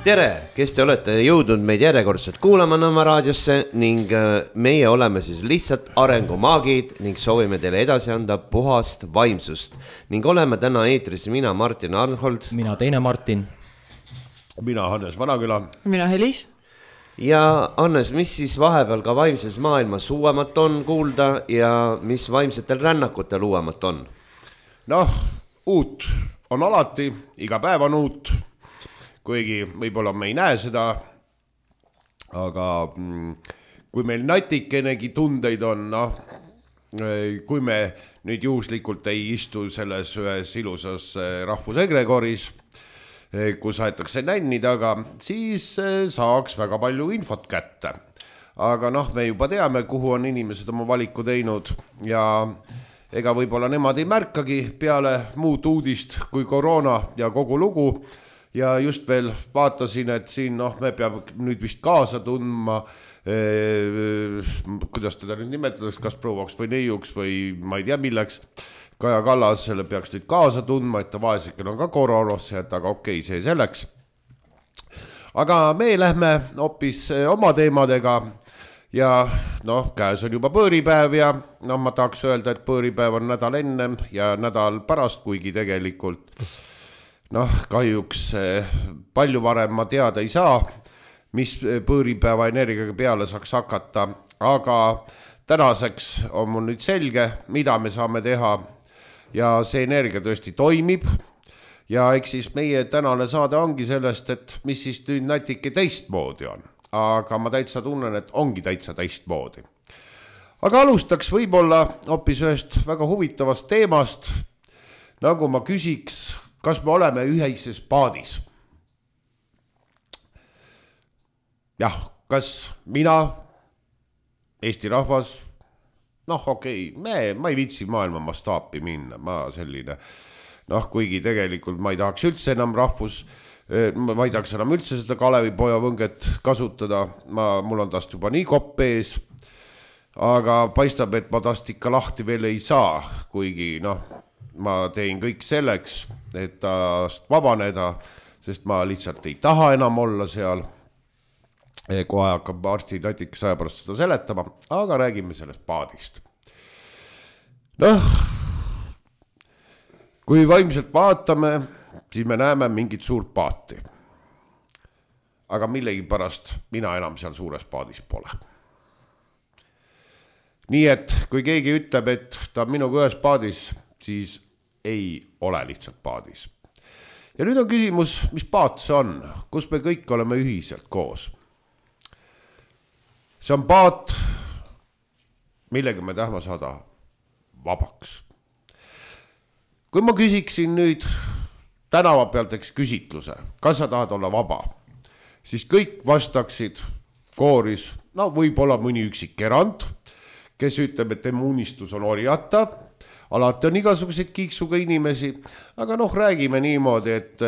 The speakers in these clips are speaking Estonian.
Tere, kes te olete jõudnud meid järjekordselt kuulama Nõmme raadiosse ning meie oleme siis lihtsalt arengumaagid ning soovime teile edasi anda puhast vaimsust. Ning oleme täna eetris mina, Martin Arnhold. Mina teine Martin. Mina Hannes Vanaküla. Mina Helis. Ja Hannes, mis siis vahepeal ka vaimses maailmas uuemat on kuulda ja mis vaimsetel rännakutel uuemat on? Noh, uut on alati, iga päev on uut. Kuigi võib-olla me ei näe seda, aga kui meil natikenegi tundeid on, kui me nüüd juhuslikult ei istu selles ühes ilusas rahvusegregoris, kus aetakse nänni taga, siis saaks väga palju infot kätte. Aga me juba teame, kuhu on inimesed oma valiku teinud ja ega võib-olla nemad ei märkagi peale muud uudist kui koroona ja kogu lugu. Ja just veel vaatasin, et siin me peame nüüd vist kaasa tundma, kuidas teda nüüd nimetades, kas prouaks või neiuks või ma ei tea milleks. Kaja Kallas selle peaks nüüd kaasa tundma, et ta vaesekel on ka koroonasse, et aga okei, see selleks. Aga me lähme hoopis oma teemadega ja käes on juba põõripäev ja ma tahaks öelda, et põõripäev on nädal ennem ja nädal pärast, kuigi tegelikult kahjuks palju varem ma teada ei saa, mis põõripäeva energiaga peale saaks hakata, aga tänaseks on mul nüüd selge, mida me saame teha ja see energia tõesti toimib ja eks siis meie tänane saade ongi sellest, et mis siis nüüd natuke teistmoodi on, aga ma täitsa tunnen, et ongi täitsa teistmoodi. Aga alustaks võib-olla hoopis ühest väga huvitavast teemast, nagu ma küsiks, kas me oleme ühises paadis? Jah, kas mina, Eesti rahvas, okei, ma ei viitsi maailma mastaapi minna, ma selline, kuigi tegelikult ma ei tahaks üldse enam ma ei tahaks enam üldse seda Kalevipoja võnget kasutada, mul on tast juba nii kopp ees, aga paistab, et ma tast ikka lahti veel ei saa, kuigi ma teen kõik selleks, et tast vabaneda, sest ma lihtsalt ei taha enam olla seal. Kohe hakkab arsti natikas aja pärast seda seletama, aga räägime sellest paadist. Kui vaimselt vaatame, siis me näeme mingit suurt paati. Aga millegi pärast mina enam seal suures paadis pole. Nii et kui keegi ütleb, et ta on minuga ühes paadis, siis ei ole lihtsalt paadis. Ja nüüd on küsimus, mis paat see on, kus me kõik oleme ühiselt koos. See on paat, millega me tahame saada vabaks. Kui ma küsiksin nüüd tänava pealt küsitluse, kas sa tahad olla vaba, siis kõik vastaksid kooris, võib-olla mõni üksik erand, kes ütleb, et tema unistus on orjata. Alati on igasuguseid kiiksuga inimesi, aga räägime niimoodi, et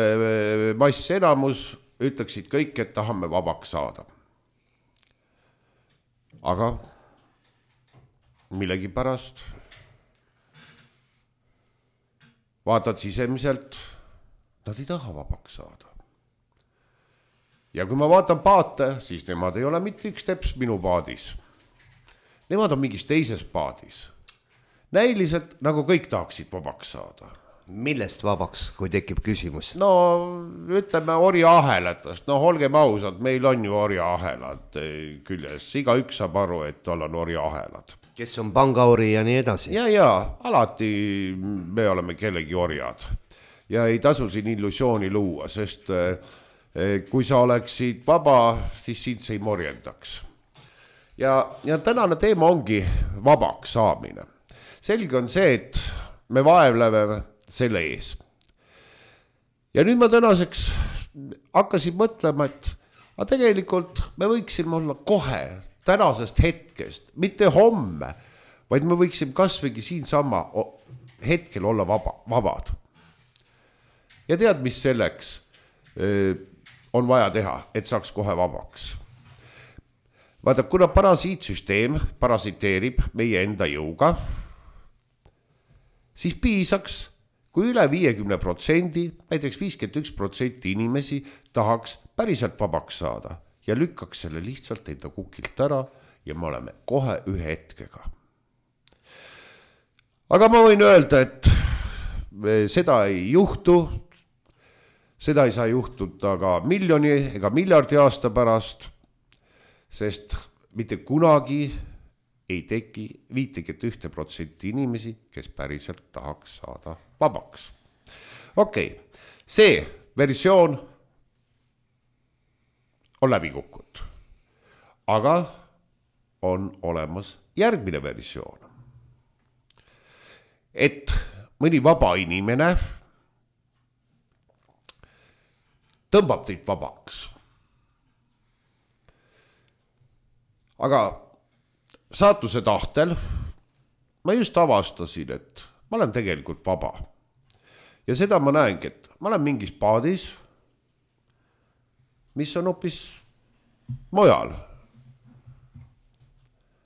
mass enamus ütleksid kõik, et tahame vabaks saada. Aga millegi pärast vaatad sisemiselt, nad ei taha vabaks saada. Ja kui ma vaatan paate, siis nemad ei ole mitte üks teps minu paadis. Nemad on mingis teises paadis. Näiliselt nagu kõik tahaksid vabaks saada. Millest vabaks, kui tekib küsimus? Ütleme orja ahelatast. Olgem ausad, meil on ju orja ahelad küljes. Iga üks saab aru, et tal on orja ahelad. Kes on pangauri ja nii edasi? Ja, alati me oleme kellegi orjad. Ja ei tasu siin illusiooni luua, sest kui sa oleksid vaba, siis sind see ei morjendaks. Ja tänane teema ongi vabaks saamine. Selge on see, et me vaevleme selle ees. Ja nüüd ma tänaseks hakkasin mõtlema, et tegelikult me võiksime olla kohe tänasest hetkest, mitte homme, vaid me võiksime kasvõigi siinsama hetkel olla vabad. Ja tead, mis selleks on vaja teha, et saaks kohe vabaks. Vaata, kuna parasiitsüsteem parasiteerib meie enda jõuga, siis piisaks, kui üle 50%, näiteks 51% inimesi tahaks päriselt vabaks saada ja lükkaks selle lihtsalt enda kukilt ära ja me oleme kohe ühe hetkega. Aga ma võin öelda, et seda ei juhtu, seda ei saa juhtuda ka miljoni ega miljardi aasta pärast, sest mitte kunagi ei teki 51% inimesi, kes päriselt tahaks saada vabaks. Okei, see versioon on läbi kukkunud, aga on olemas järgmine versioon. Et mõni vaba inimene tõmbab teid vabaks. Aga saatuse tahtel ma just avastasin, et ma olen tegelikult vaba. Ja seda ma näengi, et ma olen mingis paadis, mis on hoopis mujal.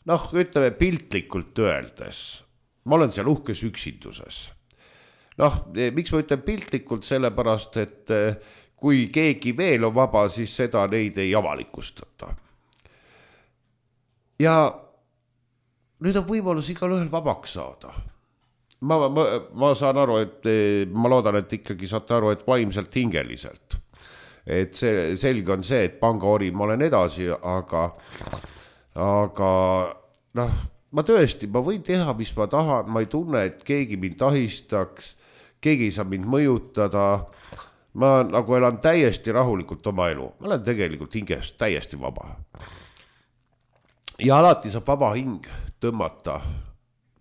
Noh, ütleme piltlikult öeldes. Ma olen seal uhkes üksinduses. Noh, miks ma ütlen piltlikult, sellepärast, et kui keegi veel on vaba, siis seda neid ei avalikustata. Ja nüüd on võimalus igal ühel vabaks saada. Ma saan aru, et ma loodan, et ikkagi saate aru, et vaimselt hingeliselt. Et see selge on see, et pangaori ma olen edasi, aga noh, ma tõesti, ma võin teha, mis ma tahan, ma ei tunne, et keegi mind tahistaks, keegi ei saa mind mõjutada, ma nagu elan täiesti rahulikult oma elu, ma olen tegelikult hingest täiesti vaba. Ja alati saab vaba hing tõmmata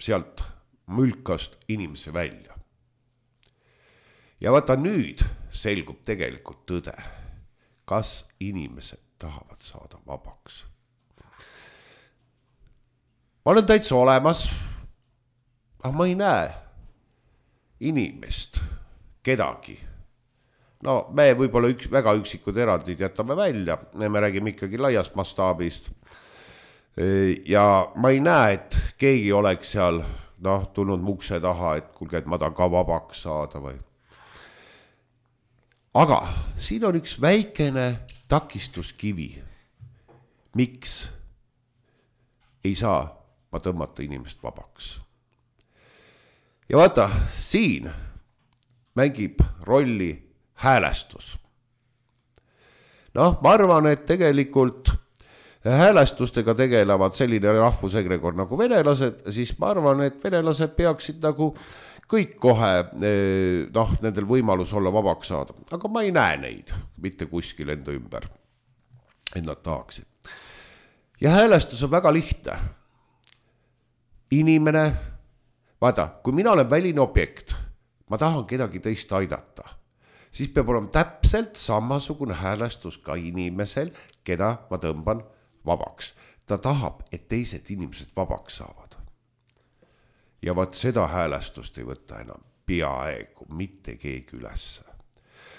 sealt mülkast inimese välja. Ja vaata nüüd selgub tegelikult tõde, kas inimesed tahavad saada vabaks. Ma olen täitsa olemas, aga ma ei näe inimest, kedagi. No me võib-olla väga üksikud erandid jätame välja, me räägime ikkagi laiast mastaabist. Ja ma ei näe, et keegi oleks seal tulnud mukse taha, et kuulge, et ma tahan ka vabaks saada või. Aga siin on üks väikene takistuskivi. Miks ei saa ma tõmmata inimest vabaks? Ja vaata, siin mängib rolli häälestus. Noh, ma arvan, et tegelikult häälestustega tegelevad selline rahvusegregor nagu venelased, siis ma arvan, et venelased peaksid nagu kõik kohe nendel võimalus olla vabaks saada. Aga ma ei näe neid mitte kuskil enda ümber, et nad tahaksid. Ja häälestus on väga lihtne. Inimene, vaata, kui mina olen väline objekt, ma tahan kedagi teist aidata, siis peab olema täpselt samasugune häälestus ka inimesel, keda ma tõmban vabaks. Ta tahab, et teised inimesed vabaks saavad. Ja vaat seda häälestust ei võta enam peaaegu mitte keegi ülesse.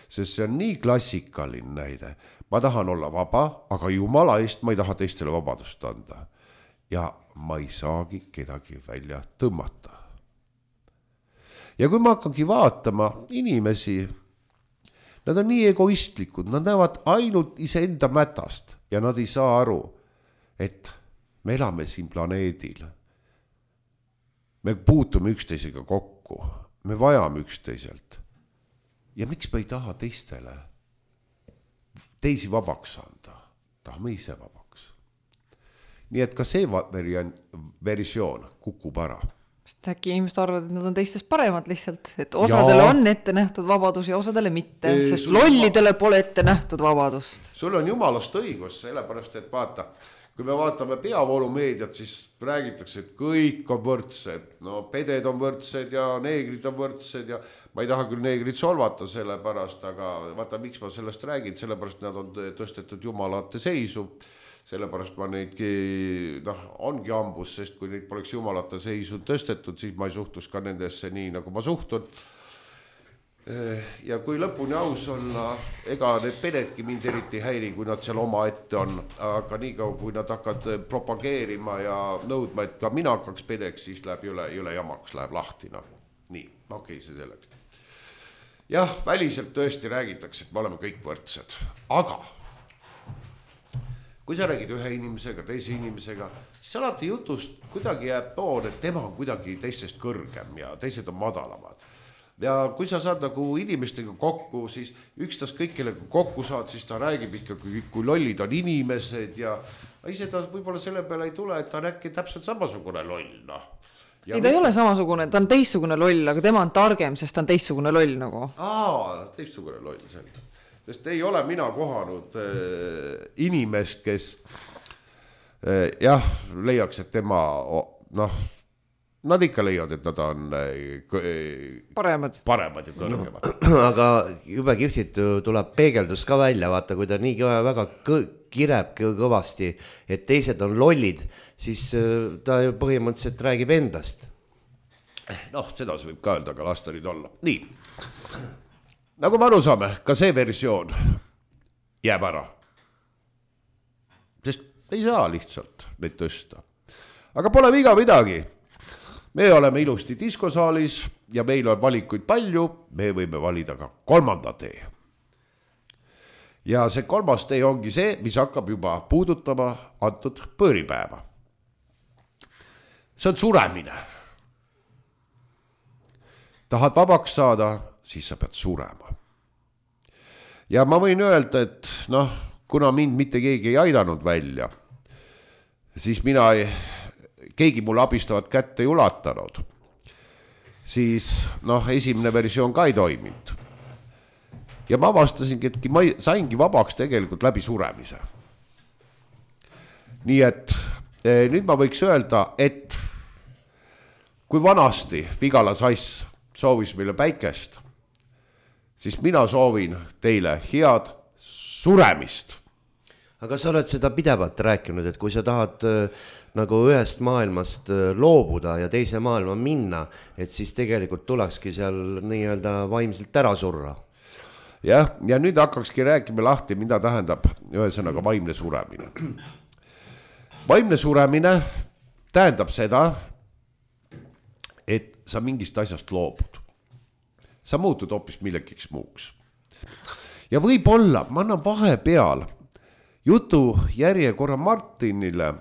Sest see on nii klassikaline näide. Ma tahan olla vaba, aga jumala eest ma ei taha teistele vabadust anda. Ja ma ei saagi kedagi välja tõmmata. Ja kui ma hakkangi vaatama inimesi, nad on nii egoistlikud, nad näevad ainult iseenda mätast ja nad ei saa aru, et me elame siin planeedil. Me puutume üksteisega kokku, me vajame üksteiselt. Ja miks me ei taha teisi vabaks anda? Tahame ise vabaks. Nii et ka see versioon kukub ära. Äkki inimesed arvavad, et nad on teistest paremad lihtsalt, et osadele on ette nähtud vabadus ja osadele mitte, sest lollidele pole ette nähtud vabadust. Sul on jumalast õigus, sellepärast, et vaata, kui me vaatame peavoolumeediat, siis räägitakse, et kõik on võrdsed. No peded on võrdsed ja neegrid on võrdsed ja ma ei taha küll neegrid solvata sellepärast, aga vaata, miks ma sellest räägin, sellepärast nad on tõstetud jumalate seisu. Sellepärast ma neidki, ongi ambus, sest kui neid poleks jumalate seisu tõstetud, siis ma ei suhtus ka nendesse nii, nagu ma suhtun. Ja kui lõpuni aus olla, ega need pededki mind eriti häiri, kui nad seal oma ette on, aga nii kaua, kui nad hakkad propageerima ja nõudma, et ka mina hakkaks pedeks, siis läheb üle jamaks, läheb lahti. Nii, okei, see selleks. Jah, väliselt tõesti räägitakse, et me oleme kõik võrdsed, aga kui sa räägid ühe inimesega, teise inimesega, siis alati jutust kuidagi jääb toon, et tema on kuidagi teistest kõrgem ja teised on madalamad. Ja kui sa saad nagu inimestega kokku, siis ükstaskõik kellega kokku saad, siis ta räägib ikkagi, kui lollid on inimesed ja ise ta võib-olla selle peale ei tule, et ta on äkki täpselt samasugune loll, noh. Ei, ta ei ole samasugune, ta on teistsugune loll, aga tema on targem, sest ta on teistsugune loll nagu. Teistsugune loll, selge. Sest ei ole mina kohanud inimest, kes jah, leiaks, et tema, noh, nad ikka leiavad, et nad on paremad ja kõrgemad. Aga jube kihvtit tuleb peegeldus ka välja, vaata, kui ta nii väga kireb kõvasti, et teised on lollid, siis ta ju põhimõtteliselt räägib endast. Noh, seda võib ka öelda, aga las ta nüüd olla. Nii, nagu me aru saame, ka see versioon jääb ära. Sest ei saa lihtsalt neid tõsta. Aga pole viga midagi. Me oleme ilusti diskosaalis ja meil on valikuid palju, me võime valida ka kolmanda tee. Ja see kolmas tee ongi see, mis hakkab juba puudutama antud põõripäeva. See on suremine. Tahad vabaks saada, siis sa pead surema. Ja ma võin öelda, et noh, kuna mind mitte keegi ei aidanud välja, siis keegi mulle abistavat kätte ei ulatanud, siis noh, esimene versioon ka ei toiminud. Ja ma avastasingi, et ma saingi vabaks tegelikult läbi suremise. Nii et nüüd ma võiks öelda, et kui vanasti Vigala Sass soovis meile päikest, siis mina soovin teile head suremist. Aga sa oled seda pidevalt rääkinud, et kui sa tahad nagu ühest maailmast loobuda ja teise maailma minna, et siis tegelikult tulekski seal nii-öelda vaimselt ära surra. Jah, ja nüüd hakkakski rääkima lahti, mida tähendab ühesõnaga vaimne suremine. Vaimne suremine tähendab seda, et sa mingist asjast loobud. Sa muutud hoopis millegiks muuks. Ja võib-olla, ma annan vahepeal jutu järjekorra Martinile,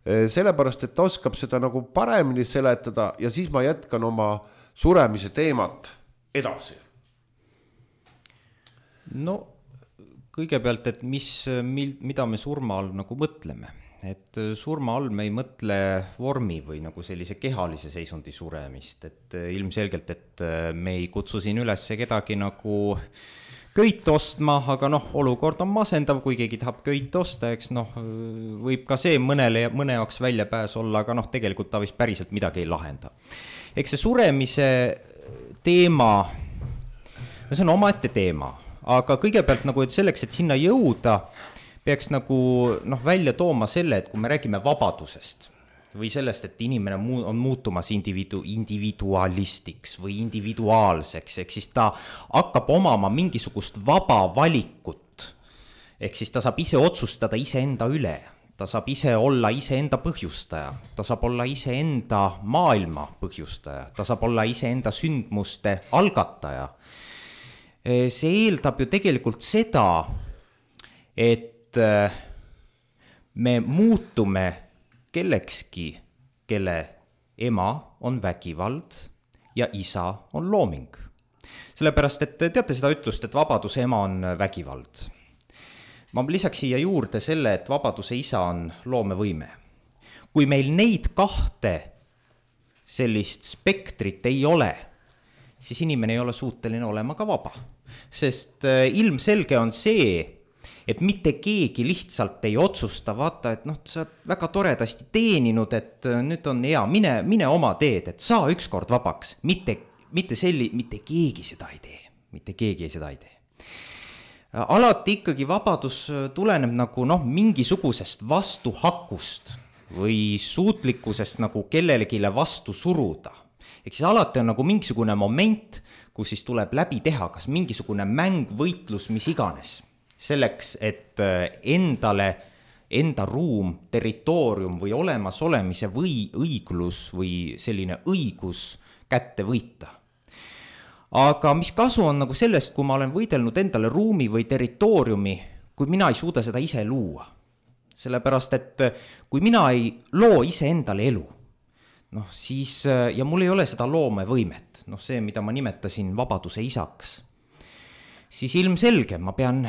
sellepärast, et ta oskab seda nagu paremini seletada ja siis ma jätkan oma suremise teemat edasi. No kõigepealt, et mida me surma all nagu mõtleme. Et surma all me ei mõtle vormi või nagu sellise kehalise seisundi suremist. Et ilmselgelt, et me ei kutsu siin üles kedagi nagu köit ostma, aga noh, olukord on masendav, kui keegi tahab köit osta, eks noh, võib ka see mõne jaoks väljapääs olla, aga noh, tegelikult ta vist päriselt midagi ei lahenda. Eks see suremise teema, see on omaette teema, aga kõigepealt nagu, et selleks, et sinna jõuda, peaks nagu noh, välja tooma selle, et kui me räägime vabadusest või sellest, et inimene on muutumas individualistiks või individuaalseks, ehk siis ta hakkab omama mingisugust vaba valikut, ehk siis ta saab ise otsustada iseenda üle, ta saab ise olla iseenda põhjustaja, ta saab olla iseenda maailma põhjustaja, ta saab olla iseenda sündmuste algataja. See eeldab ju tegelikult seda, et me muutume kellekski, kelle ema on vägivald ja isa on looming. Sellepärast, et teate seda ütlust, et vabaduse ema on vägivald. Ma lisaks siia juurde selle, et vabaduse isa on loomevõime. Kui meil neid kahte sellist spektrit ei ole, siis inimene ei ole suuteline olema ka vaba. Sest ilmselge on see, et mitte keegi lihtsalt ei otsusta, vaata, et noh, sa oled väga toredasti teeninud, et nüüd on hea, mine oma teed, et saa ükskord vabaks. Mitte keegi seda ei tee. Mitte keegi seda ei tee. Alati ikkagi vabadus tuleneb nagu noh, mingisugusest vastuhakust või suutlikkusest nagu kellelegile vastu suruda. Ehk siis alati on nagu mingisugune moment, kus siis tuleb läbi teha, kas mingisugune mäng, võitlus, mis iganes. Selleks, et endale, enda ruum, territoorium või olemasolemise või õiglus või selline õigus kätte võita. Aga mis kasu on nagu sellest, kui ma olen võidelnud endale ruumi või territooriumi, kui mina ei suuda seda ise luua? sellepärast et kui mina ei loo iseendale elu, noh siis ja mul ei ole seda loomevõimet, noh see, mida ma nimetasin vabaduse isaks, siis ilmselge ma pean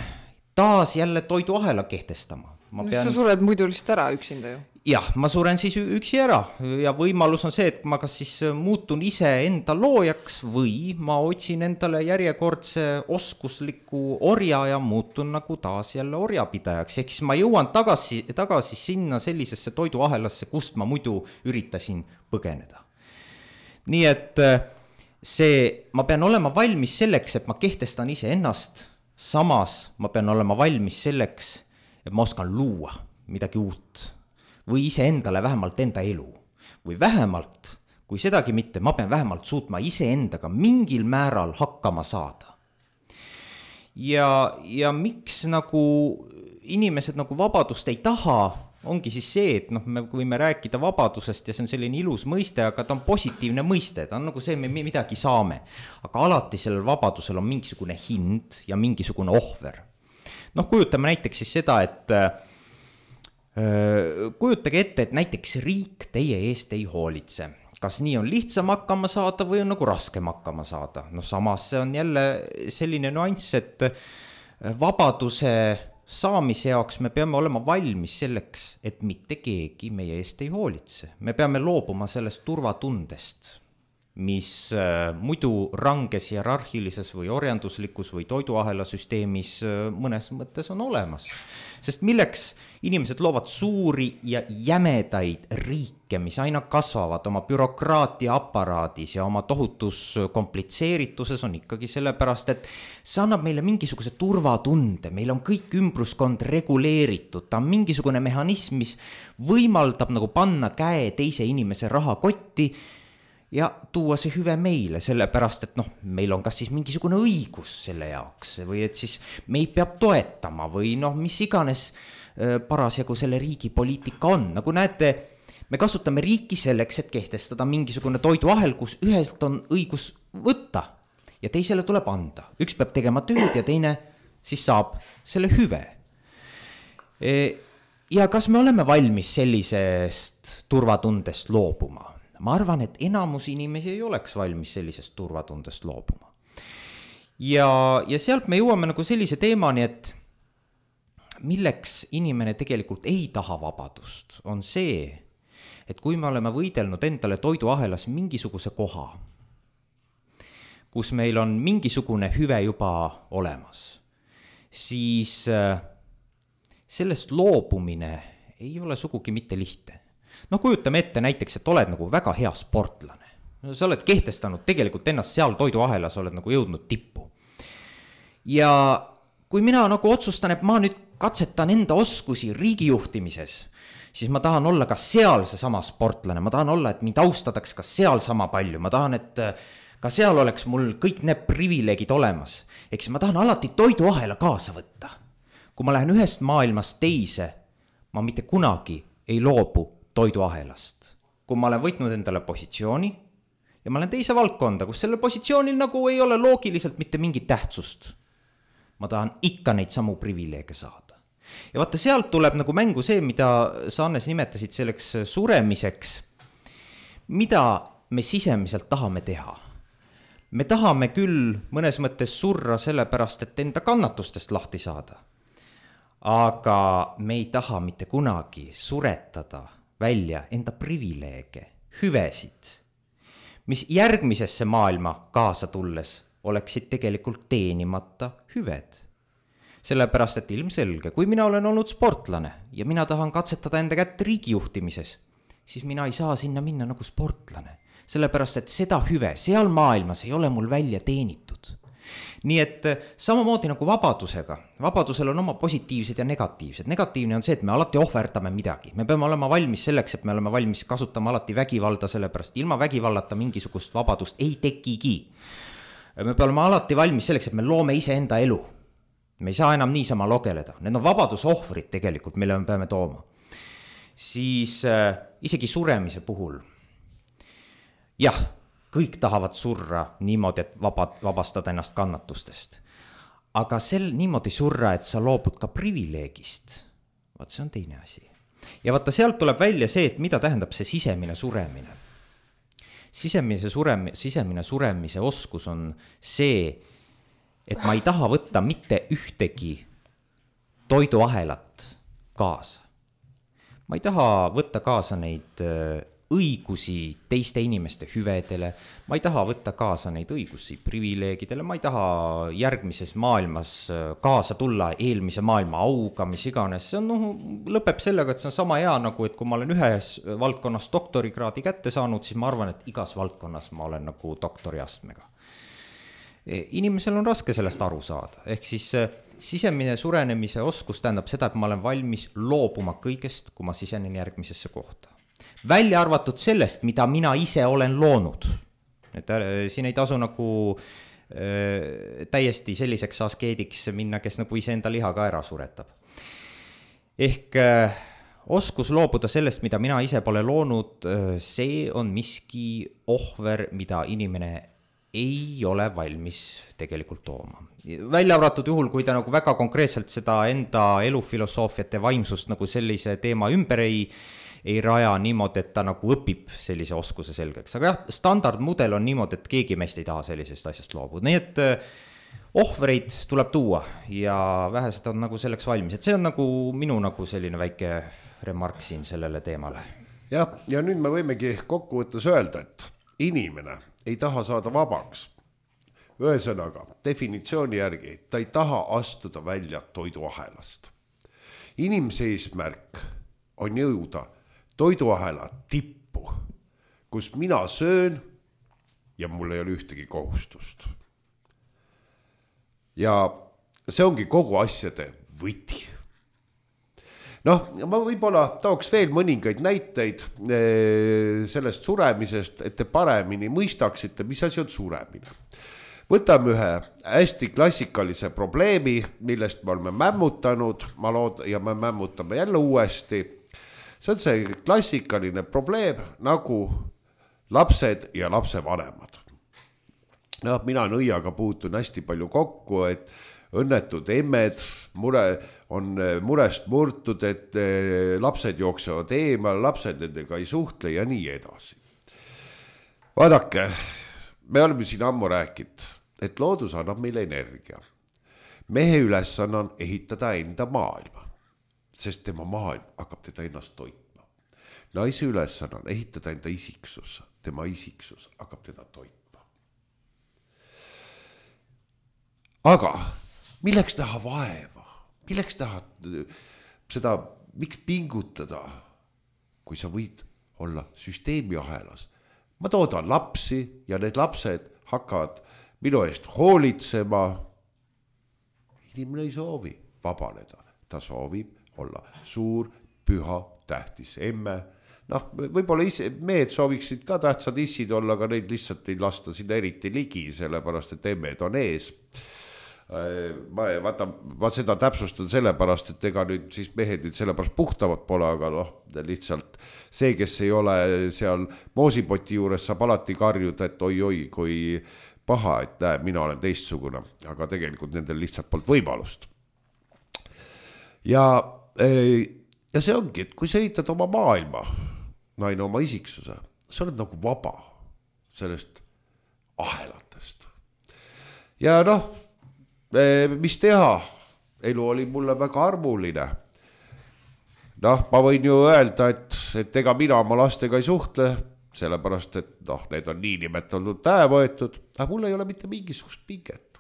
taas jälle toiduahela kehtestama. Sa sured muidu lihtsalt ära üksinda ju. Jah, ma suren siis üksi ära ja võimalus on see, et ma kas siis muutun ise enda loojaks või ma otsin endale järjekordse oskusliku orja ja muutun nagu taas jälle orjapidajaks. Ehk siis ma jõuan tagasi sinna sellisesse toiduahelasse, kust ma muidu üritasin põgeneda. Nii et ma pean olema valmis selleks, et ma kehtestan ise ennast, samas ma pean olema valmis selleks, et ma oskan luua midagi uut või ise endale vähemalt enda elu või vähemalt, kui sedagi mitte, ma pean vähemalt suutma ise endaga mingil määral hakkama saada. Ja miks nagu inimesed nagu vabadust ei taha, ongi siis see, et noh, me võime rääkida vabadusest ja see on selline ilus mõiste, aga ta on positiivne mõiste, ta on nagu see, me midagi saame. Aga alati sellel vabadusel on mingisugune hind ja mingisugune ohver. Noh, kujutame näiteks siis seda, et kujutage ette, et näiteks riik teie eest ei hoolitse. Kas nii on lihtsam hakkama saada või on nagu raskem hakkama saada? No samas see on jälle selline nüanss, et vabaduse saamise jaoks me peame olema valmis selleks, et mitte keegi meie eest ei hoolitse. Me peame loobuma sellest turvatundest, mis muidu ranges hierarhilises või orjanduslikus või toiduahela süsteemis mõnes mõttes on olemas. Sest milleks inimesed loovad suuri ja jämedaid riike, mis aina kasvavad oma bürokraatia aparaadis ja oma tohutus komplitseerituses on ikkagi sellepärast, et see annab meile mingisuguse turvatunde, meil on kõik ümbruskond reguleeritud, ta on mingisugune mehhanism, mis võimaldab nagu panna käe teise inimese rahakotti ja tuua see hüve meile, sellepärast, et noh, meil on kas siis mingisugune õigus selle jaoks või et siis meid peab toetama või noh, mis iganes parasjagu selle riigi poliitika on. Nagu näete, me kasutame riiki selleks, et kehtestada mingisugune toiduahel, kus ühelt on õigus võtta ja teisele tuleb anda. Üks peab tegema tööd ja teine siis saab selle hüve. Ja kas me oleme valmis sellisest turvatundest loobuma? Ma arvan, et enamus inimesi ei oleks valmis sellisest turvatundest loobuma. Ja sealt me jõuame nagu sellise teemani, et milleks inimene tegelikult ei taha vabadust, on see, et kui me oleme võidelnud endale toiduahelas mingisuguse koha, kus meil on mingisugune hüve juba olemas, siis sellest loobumine ei ole sugugi mitte lihtne. No kujutame ette näiteks, et oled nagu väga hea sportlane. Sa oled kehtestanud tegelikult ennast seal toiduahelas, oled nagu jõudnud tippu. Ja kui mina nagu otsustan, et ma nüüd katsetan enda oskusi riigijuhtimises, siis ma tahan olla ka seal seesama sportlane, ma tahan olla, et mind austataks ka seal sama palju, ma tahan, et ka seal oleks mul kõik need privileegid olemas. Eks ma tahan alati toiduahela kaasa võtta. Kui ma lähen ühest maailmast teise, ma mitte kunagi ei loobu toiduahelast. Kui ma olen võitnud endale positsiooni ja ma olen teise valdkonda, kus selle positsioonil nagu ei ole loogiliselt mitte mingit tähtsust. Ma tahan ikka neid samu privileege saada. Ja vaata, sealt tuleb nagu mängu see, mida sa, Annes, nimetasid selleks suremiseks, mida me sisemiselt tahame teha. Me tahame küll mõnes mõttes surra sellepärast, et enda kannatustest lahti saada. Aga me ei taha mitte kunagi suretada välja enda privileege, hüvesid, mis järgmisesse maailma kaasa tulles oleksid tegelikult teenimata hüved. Sellepärast, et ilmselge, kui mina olen olnud sportlane ja mina tahan katsetada enda kätt riigijuhtimises, siis mina ei saa sinna minna nagu sportlane. Sellepärast, et seda hüve seal maailmas ei ole mul välja teenitud. Nii et samamoodi nagu vabadusega. Vabadusel on oma positiivsed ja negatiivsed. Negatiivne on see, et me alati ohverdame midagi. Me peame olema valmis selleks, et me oleme valmis kasutama alati vägivalda, sellepärast ilma vägivallata mingisugust vabadust ei tekigi. Me peame olema alati valmis selleks, et me loome ise enda elu. Me ei saa enam niisama logeleda. Need on vabadusohvrid tegelikult, mille me peame tooma. Siis isegi suremise puhul. Jah, kõik tahavad surra niimoodi, et vabastada ennast kannatustest. Aga niimoodi surra, et sa loobud ka privileegist, vaat see on teine asi. Ja vaata, sealt tuleb välja see, et mida tähendab see sisemine suremine. Sisemine suremise oskus on see, et ma ei taha võtta mitte ühtegi toiduahelat kaasa. Ma ei taha võtta kaasa neid õigusi teiste inimeste hüvedele, ma ei taha võtta kaasa neid õigusi privileegidele, ma ei taha järgmises maailmas kaasa tulla eelmise maailma auga, mis iganes. See on, lõpeb sellega, et see on sama hea nagu, et kui ma olen ühes valdkonnas doktorikraadi kätte saanud, siis ma arvan, et igas valdkonnas ma olen nagu doktoriastmega. Inimesel on raske sellest aru saada, ehk siis sisemine surenemise oskus tähendab seda, et ma olen valmis loobuma kõigest, kui ma sisenen järgmisesse kohta. Välja arvatud sellest, mida mina ise olen loonud. Et siin ei tasu nagu täiesti selliseks askeediks minna, kes nagu ise enda liha ka ära suretab. Ehk oskus loobuda sellest, mida mina ise pole loonud, see on miski ohver, mida inimene ei ole valmis tegelikult tooma. Välja arvatud juhul, kui ta nagu väga konkreetselt seda enda elufilosoofiat ja vaimsust nagu sellise teema ümber ei raja niimoodi, et ta nagu õpib sellise oskuse selgeks. Aga jah, standardmudel on niimoodi, et keegi meist ei taha sellisest asjast loobuda. Nii et ohvreid tuleb tuua ja vähesed on nagu selleks valmis. Et see on nagu minu nagu selline väike remark siin sellele teemale. Ja nüüd me võimegi kokkuvõttes öelda, et inimene ei taha saada vabaks. Ühesõnaga, definitsiooni järgi, ta ei taha astuda välja toiduahelast. Inimese eesmärk on jõuda toiduahela tippu, kus mina söön ja mul ei ole ühtegi kohustust. Ja see ongi kogu asjade võti. Noh, ma võib-olla tooks veel mõningaid näiteid sellest suremisest, et te paremini mõistaksite, mis asi on suremine. Võtame ühe hästi klassikalise probleemi, millest me oleme mämmutanud, ja me mämmutame jälle uuesti. See on see klassikaline probleem nagu lapsed ja lapsevanemad. No, mina nõiaga puutun hästi palju kokku, et õnnetud emmed on murest murtud, et lapsed jooksevad eemal, lapsed nendega ei suhtle ja nii edasi. Vaadake, me oleme siin ammu rääkinud, et loodus annab meile energia. Mehe ülesanne on ehitada enda maailma, sest tema maailm hakkab teda ennast toitma. Naise ülesanne on ehitada enda isiksus, tema isiksus hakkab teda toitma. Aga milleks taha vaeva? Milleks taha seda, miks pingutada, kui sa võid olla süsteemi ahelas? Ma toodan lapsi ja need lapsed hakkavad minu eest hoolitsema. Inimene ei soovi vabaneda. Ta soovib olla suur, püha, tähtis emme. Noh, võib-olla mehed sooviksid ka tähtsad issid olla, aga neid lihtsalt ei lasta sinna eriti ligi, sellepärast et emmed on ees. Ma seda täpsustan sellepärast, et ega nüüd siis mehed nüüd sellepärast puhtavad pole, aga lihtsalt see, kes ei ole seal moosipoti juures, saab alati karjuda, et oi, kui paha, et näe, mina olen teistsugune, aga tegelikult nendel lihtsalt polnud võimalust. Ja see ongi, et kui sa ehitad oma maailma, naine oma isiksuse, sa oled nagu vaba sellest ahelatest. Ja mis teha? Elu oli mulle väga armuline. Ma võin ju öelda, et ega mina oma lastega ei suhtle, sellepärast, et need on nii nimetatud võetud, aga mul ei ole mitte mingisugust pinget,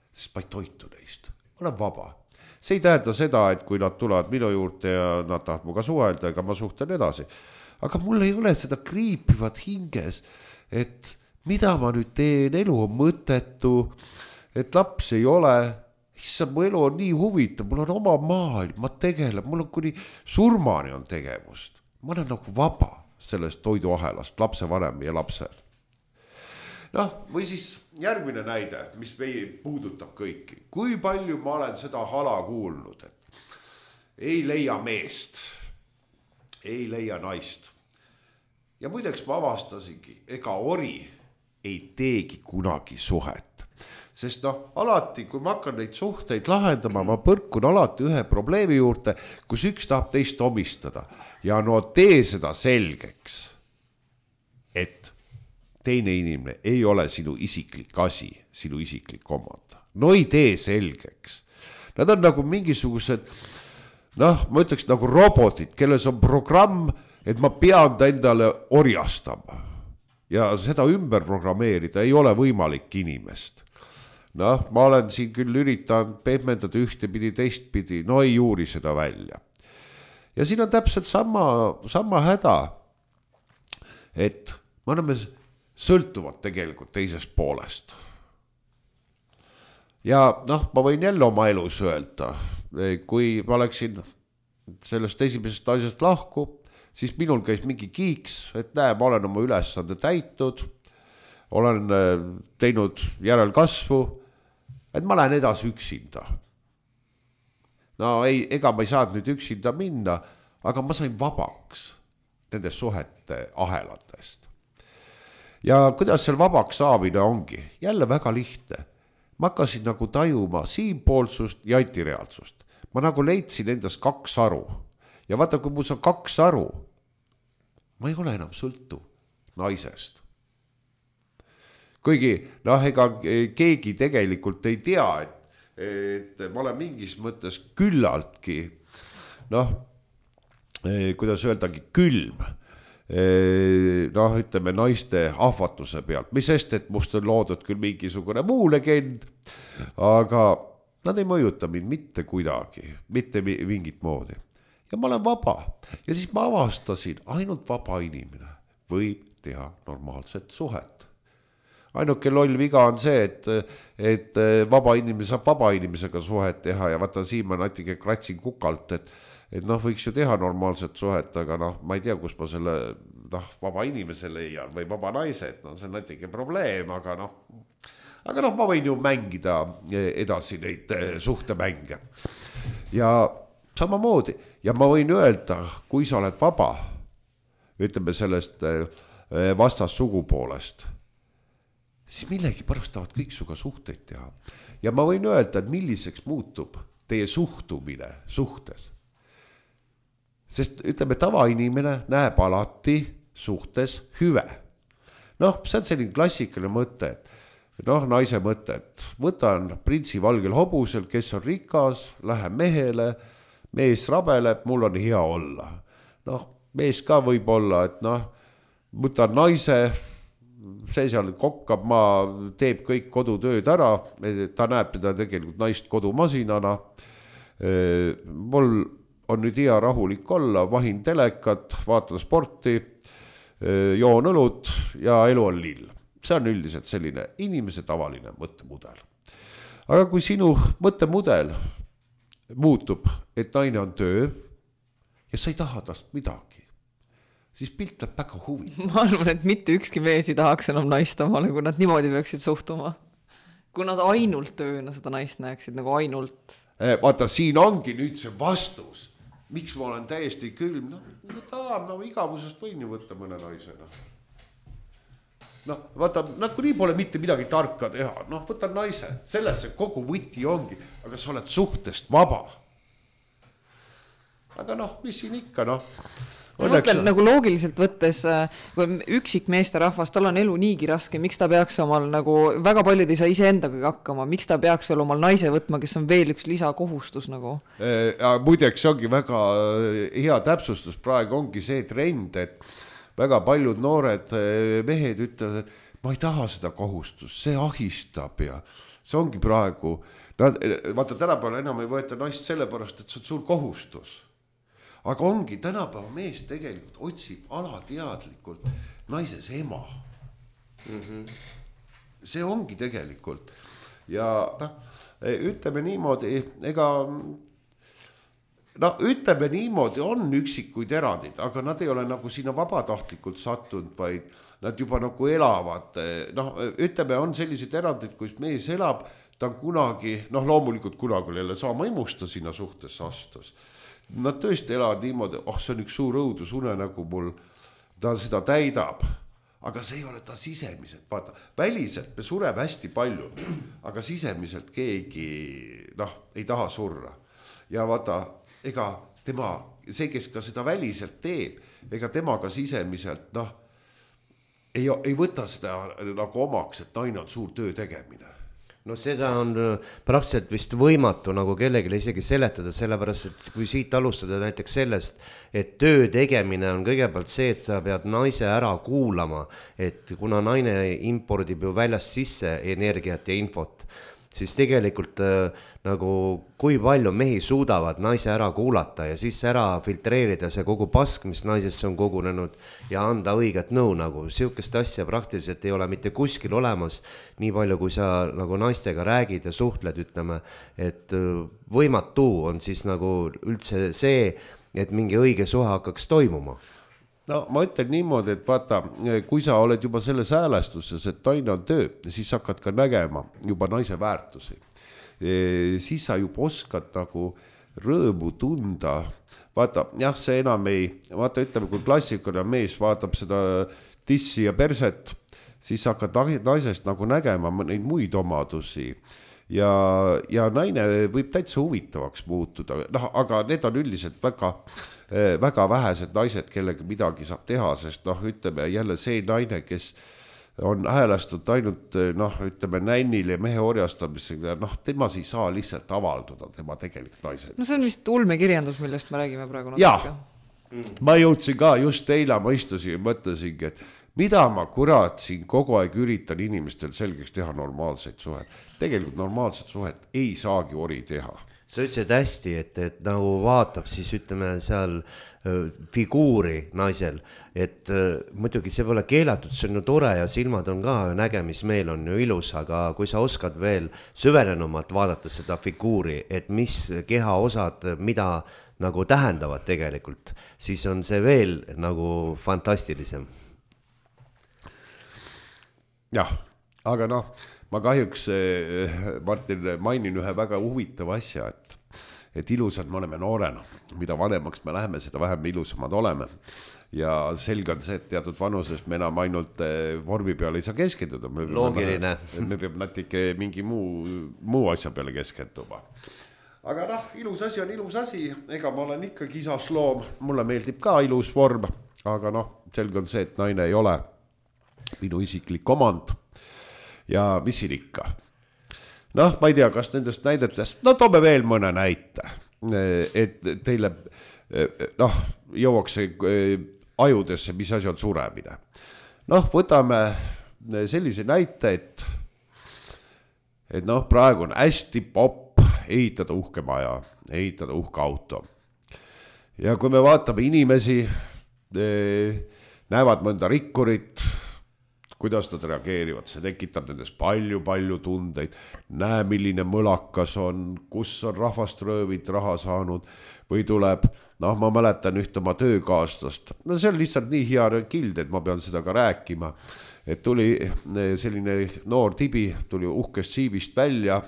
sest ma ei toitu neist. Ma olen vaba. See ei tähenda seda, et kui nad tulevad minu juurde ja nad tahavad muga suhelda, ega ma suhtlen edasi. Aga mul ei ole seda kriipivat hinges, et mida ma nüüd teen, elu on mõttetu, et laps ei ole, issand, mu elu on nii huvitav, mul on oma maailm, ma tegelen, mul on kuni surmani on tegevust. Ma olen nagu vaba sellest toiduahelast, lapsevanem ja lapsel. Või siis järgmine näide, mis meie puudutab kõiki. Kui palju ma olen seda hala kuulnud, et ei leia meest, ei leia naist. Ja muideks ma avastasingi, ega ori ei teegi kunagi suhet. sest alati, kui ma hakkan neid suhteid lahendama, ma põrkun alati ühe probleemi juurde, kus üks tahab teist omistada ja tee seda selgeks, et teine inimene ei ole sinu isiklik asi, sinu isiklik omand. Ei tee selgeks. Nad on nagu mingisugused, ma ütleks nagu robotid, kelles on programm, et ma pean ta endale orjastama. Ja seda ümber programmeerida ei ole võimalik inimest. Ma olen siin küll üritanud pehmendada ühtepidi, teistpidi, ei juuri seda välja. Ja siin on täpselt sama häda, et me oleme sõltuvad tegelikult teisest poolest. Ja ma võin jälle oma elus öelda, kui ma oleksin sellest esimesest asjast lahku, siis minul käis mingi kiiks, et ma olen oma ülesande täitud, olen teinud järelkasvu, et ma lähen edasi üksinda. Ega ma ei saanud nüüd üksinda minna, aga ma sain vabaks nendest suhete ahelatest. Ja kuidas seal vabaks saamine ongi? Jälle väga lihtne. Ma hakkasin nagu tajuma siinpoolsust ja antireaalsust. Ma nagu leidsin endas 2 aru. Ja vaata, kui mul on 2 aru, ma ei ole enam sõltuv naisest. Kuigi, ega keegi tegelikult ei tea, et ma olen mingis mõttes küllaltki, kuidas öeldagi, külm. Ütleme naiste ahvatuse pealt, mis sest, et must on loodud küll mingisugune muu legend, aga nad ei mõjuta mind mitte kuidagi, mitte mingit moodi. Ja ma olen vaba. Ja siis ma avastasin, ainult vaba inimene võib teha normaalset suhet. Ainuke loll viga on see, et vaba inimene saab vaba inimesega suhet teha ja vaata siin ma natuke kratsin kukalt, et võiks ju teha normaalset suhet, aga ma ei tea, kus ma selle vaba inimese leian või vaba naise, et see on natuke probleem, aga ma võin ju mängida edasi neid suhtemänge. Ja samamoodi, ja ma võin öelda, kui sa oled vaba, ütleme sellest vastas sugupoolest, siis millegi pärast tahavad kõik suga suhteid teha. Ja ma võin öelda, et milliseks muutub teie suhtumine suhtes. Sest ütleme, tavainimene näeb alati suhtes hüve. See on selline klassikaline mõte, et naise mõte, et võtan printsi valgel hobusel, kes on rikas, lähen mehele, mees rabeleb, mul on hea olla. Mees ka võib olla, et võtan naise, see seal kokkab, teeb kõik kodutööd ära, ta näeb teda tegelikult naist kodumasinana, mul on nüüd hea rahulik olla, vahin telekat, vaatan sporti, joon õlut ja elu on lill. See on üldiselt selline inimese tavaline mõttemudel. Aga kui sinu mõttemudel muutub, et naine on töö ja sa ei taha tast midagi, siis pilt läheb väga huvitav. Ma arvan, et mitte ükski mees ei tahaks enam naist omale, kui nad niimoodi peaksid suhtuma. Kui nad ainult tööna seda naist näeksid, nagu ainult. Vaata, siin ongi nüüd see vastus. Miks ma olen täiesti külm? Igavusest võin ju võtta mõne naisena. Vaata, kui nii pole mitte midagi tarka teha. Võtan naise, sellesse kogu võti ongi, aga sa oled suhtest vaba. Aga mis siin ikka, Ma mõtlen nagu loogiliselt võttes, kui üksik meeste rahvas, tal on elu niigi raske, miks ta peaks omal nagu, väga paljud ei saa ise endaga hakkama, miks ta peaks veel omal naise võtma, kes on veel üks lisakohustus nagu? Muideks ongi väga hea täpsustus, praegu ongi see trend, et väga paljud noored mehed ütlevad, et ma ei taha seda kohustust, see ahistab ja see ongi praegu, vaata tänapäeval enam ei võeta naist sellepärast, et see on suur kohustus. Aga ongi, tänapäeva mees tegelikult otsib alateadlikult naises ema. See ongi tegelikult. Ja ütleme niimoodi, ütleme niimoodi on üksikuid erandid, aga nad ei ole nagu sinna vabatahtlikult sattunud, vaid nad juba nagu elavad. Ütleme, on sellised erandid, kus mees elab, ta on kunagi, loomulikult kunagi jälle saama imusta sinna suhtesse astus. Nad tõesti elavad niimoodi, see on üks suur õudusunenägu mul, ta seda täidab. aga see ei ole ta sisemiselt, vaata, väliselt me sureme hästi palju, aga sisemiselt keegi, ei taha surra. Ja vaata, ega tema, see, kes ka seda väliselt teeb, ega tema ka sisemiselt, ei võta seda nagu omaks, et naine on suur töö tegemine. No seda on praktiliselt vist võimatu nagu kellelegi isegi seletada, sellepärast, et kui siit alustada näiteks sellest, et töö tegemine on kõigepealt see, et sa pead naise ära kuulama, et kuna naine impordib ju väljast sisse energiat ja infot, siis tegelikult nagu kui palju mehi suudavad naise ära kuulata ja siis ära filtreerida see kogu pask, mis naisesse on kogunenud ja anda õiget nõu nagu. Siukest asja praktiliselt ei ole mitte kuskil olemas, nii palju kui sa nagu naistega räägid ja suhtled, ütleme, et võimatu on siis nagu üldse see, et mingi õige suhe hakkaks toimuma. No ma ütlen niimoodi, et vaata, kui sa oled juba selles häälestuses, et naine on töö, siis hakkad ka nägema juba naise väärtusi. Siis sa juba oskad nagu rõõmu tunda. Vaata, jah, see enam ei, vaata, ütleme, kui klassikaline mees vaatab seda tissi ja perset, siis hakkad naisest nagu nägema neid muid omadusi. Ja naine võib täitsa huvitavaks muutuda, aga need on üldiselt väga vähesed naised, kellega midagi saab teha, sest ütleme jälle see naine, kes on häälestunud ainult ütleme nännil ja mehe orjastamisega, temas ei saa lihtsalt avalduda tema tegelik naised. No see on vist ulmekirjandus, millest me räägime praegu. Jah, ma jõudsin ka just eile, ma istusin ja mõtlesingi, et mida ma kurat siin kogu aeg üritan inimestel selgeks teha normaalseid suhet. Tegelikult normaalset suhet ei saagi ori teha. Sa ütlesid hästi, et nagu vaatab siis ütleme seal figuuri naisel, et muidugi see pole keelatud, see on ju tore ja silmad on ka, nägemismeel on ju ilus, aga kui sa oskad veel süvenenumalt vaadata seda figuuri, et mis kehaosad, mida nagu tähendavad tegelikult, siis on see veel nagu fantastilisem. Jah, aga ma kahjuks, Martin, mainin ühe väga huvitava asja, et ilusad me oleme noorena. Mida vanemaks me läheme, seda vähem ilusamad oleme. Ja selge on see, et teatud vanuses me enam ainult vormi peale ei saa keskenduda. Loogiline. Me peab natuke mingi muu asja peale keskenduma. Aga ilus asi on ilus asi. Ega ma olen ikkagi isasloom. Mulle meeldib ka ilus vorm. Aga selge on see, et naine ei ole minu isiklik omand ja mis siin ikka. Ma ei tea, kas nendest näidetest, toome veel mõne näite, et teile jõuaks ajudesse, mis asi on suremine. Võtame sellise näite, et praegu on hästi popp ehitada uhke maja, ehitada uhke auto. Ja kui me vaatame inimesi, näevad mõnda rikkurit, kuidas nad reageerivad, see tekitab nendes palju tundeid, näe milline mõlakas on, kus on rahvast röövid raha saanud või tuleb, ma mäletan ühte oma töökaaslast, see on lihtsalt nii hea kild, et ma pean seda ka rääkima, et tuli selline noor tibi, tuli uhkest siivist välja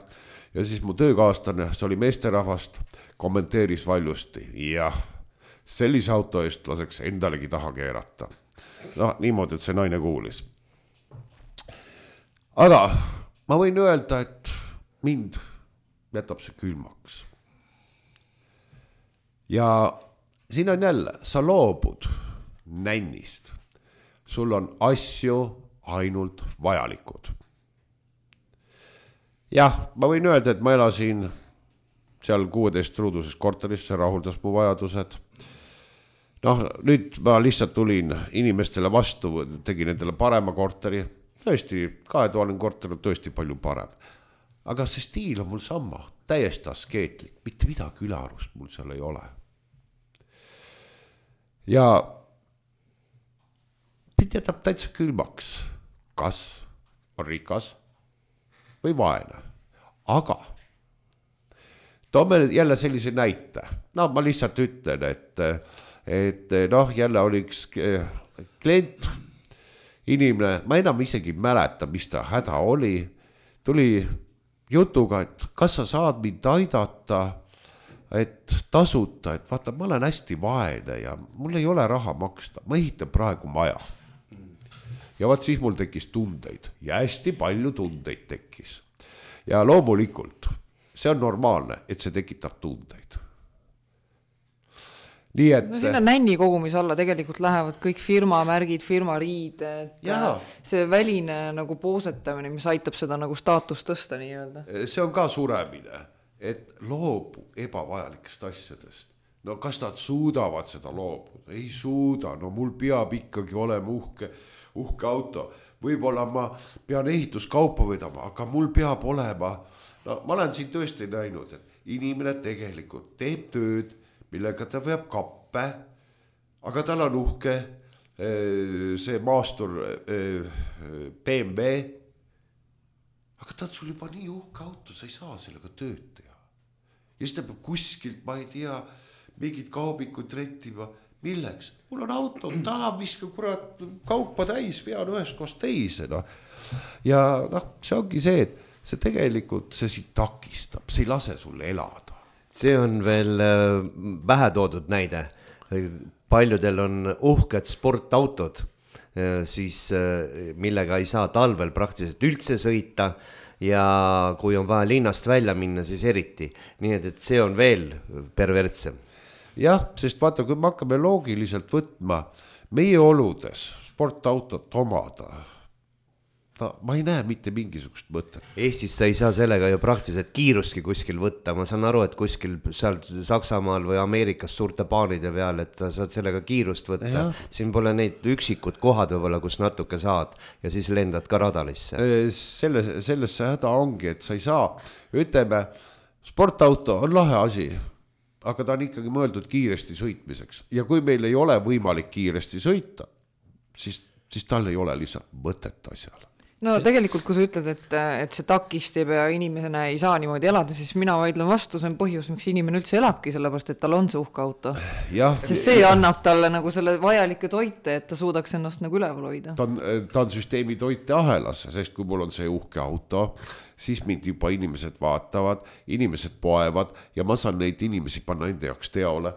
ja siis mu töökaaslane, see oli meesterahvast, kommenteeris valjusti, jah, sellise auto eest laseks endalegi taha keerata. Niimoodi, et see naine kuulis. Aga ma võin öelda, et mind jätab see külmaks. Ja siin on jälle, sa loobud nännist. Sul on asju ainult vajalikud. Jah, ma võin öelda, et ma elasin seal 16 ruuduses korteris, see rahuldas mu vajadused. Nüüd ma lihtsalt tulin inimestele vastu, tegin endale parema korteri. Tõesti, 2000 korter on tõesti palju parem. Aga see stiil on mul sama, täiesti askeetlik, mitte midagi ülearust mul seal ei ole. Ja mind jätab täitsa külmaks, kas on rikas või vaene. Aga toome jälle sellise näite. Ma lihtsalt ütlen, et jälle oli üks klient, inimene, ma enam isegi mäleta, mis ta häda oli, tuli jutuga, et kas sa saad mind aidata, et tasuta, et vaata, ma olen hästi vaene ja mul ei ole raha maksta, ma ehitan praegu maja. ja vaat siis mul tekkis tundeid ja hästi palju tundeid tekkis. Ja loomulikult, see on normaalne, et see tekitab tundeid. Nii et... No sinna nänni kogumise alla tegelikult lähevad kõik firmamärgid, firmariided, see väline nagu poosetamine, mis aitab seda nagu staatust tõsta nii öelda. See on ka suremine, et loobu ebavajalikest asjadest. No kas nad suudavad seda loobuda? Ei suuda, no mul peab ikkagi olema uhke auto. Võib-olla ma pean ehituskaupa vedama, aga mul peab olema... No ma olen siin tõesti näinud, et inimene tegelikult teeb tööd, millega ta veab kappe, aga tal on uhke see maastur BMW, aga ta on sul juba nii uhke auto, sa ei saa sellega tööd teha. Ja siis ta peab kuskilt, ma ei tea, mingid kaubikud rentima, milleks? Mul on auto, tahan viska kurat kaupa täis, vean ühest koos teise. No. Ja see ongi see, et see tegelikult see takistab, see ei lase sulle elada. See on veel vähe toodud näide. Paljudel on uhked sportautod, siis millega ei saa talvel praktiliselt üldse sõita ja kui on vaja linnast välja minna, siis eriti. Nii et see on veel pervertsem. Jah, sest vaata, kui me hakkame loogiliselt võtma meie oludes sportautot omada, ma ei näe mitte mingisugust mõtet. Eestis sa ei saa sellega ju praktiliselt kiirustki kuskil võtta. Ma saan aru, et kuskil seal Saksamaal või Ameerikas suurte paanide peal, et sa saad sellega kiirust võtta. Ja. Siin pole neid üksikud kohad võib-olla, kus natuke saad ja siis lendad ka radalisse. Sellesse häda ongi, et sa ei saa, ütleme, sportauto on lahe asi, aga ta on ikkagi mõeldud kiiresti sõitmiseks. Ja kui meil ei ole võimalik kiiresti sõita, siis tal ei ole lihtsalt mõtet asjale. No tegelikult, kui sa ütled, et see takistab ja inimesena ei saa niimoodi elada, siis mina vaidlen vastu, see on põhjus, miks inimene üldse elabki, sellepärast, et tal on see uhke auto. Sest see annab talle nagu selle vajalike toite, et ta suudaks ennast nagu üleval hoida. Ta on süsteemi toiteahelas, sest kui mul on see uhke auto, siis mind juba inimesed vaatavad, inimesed poevad ja ma saan neid inimesi panna enda jaoks teole.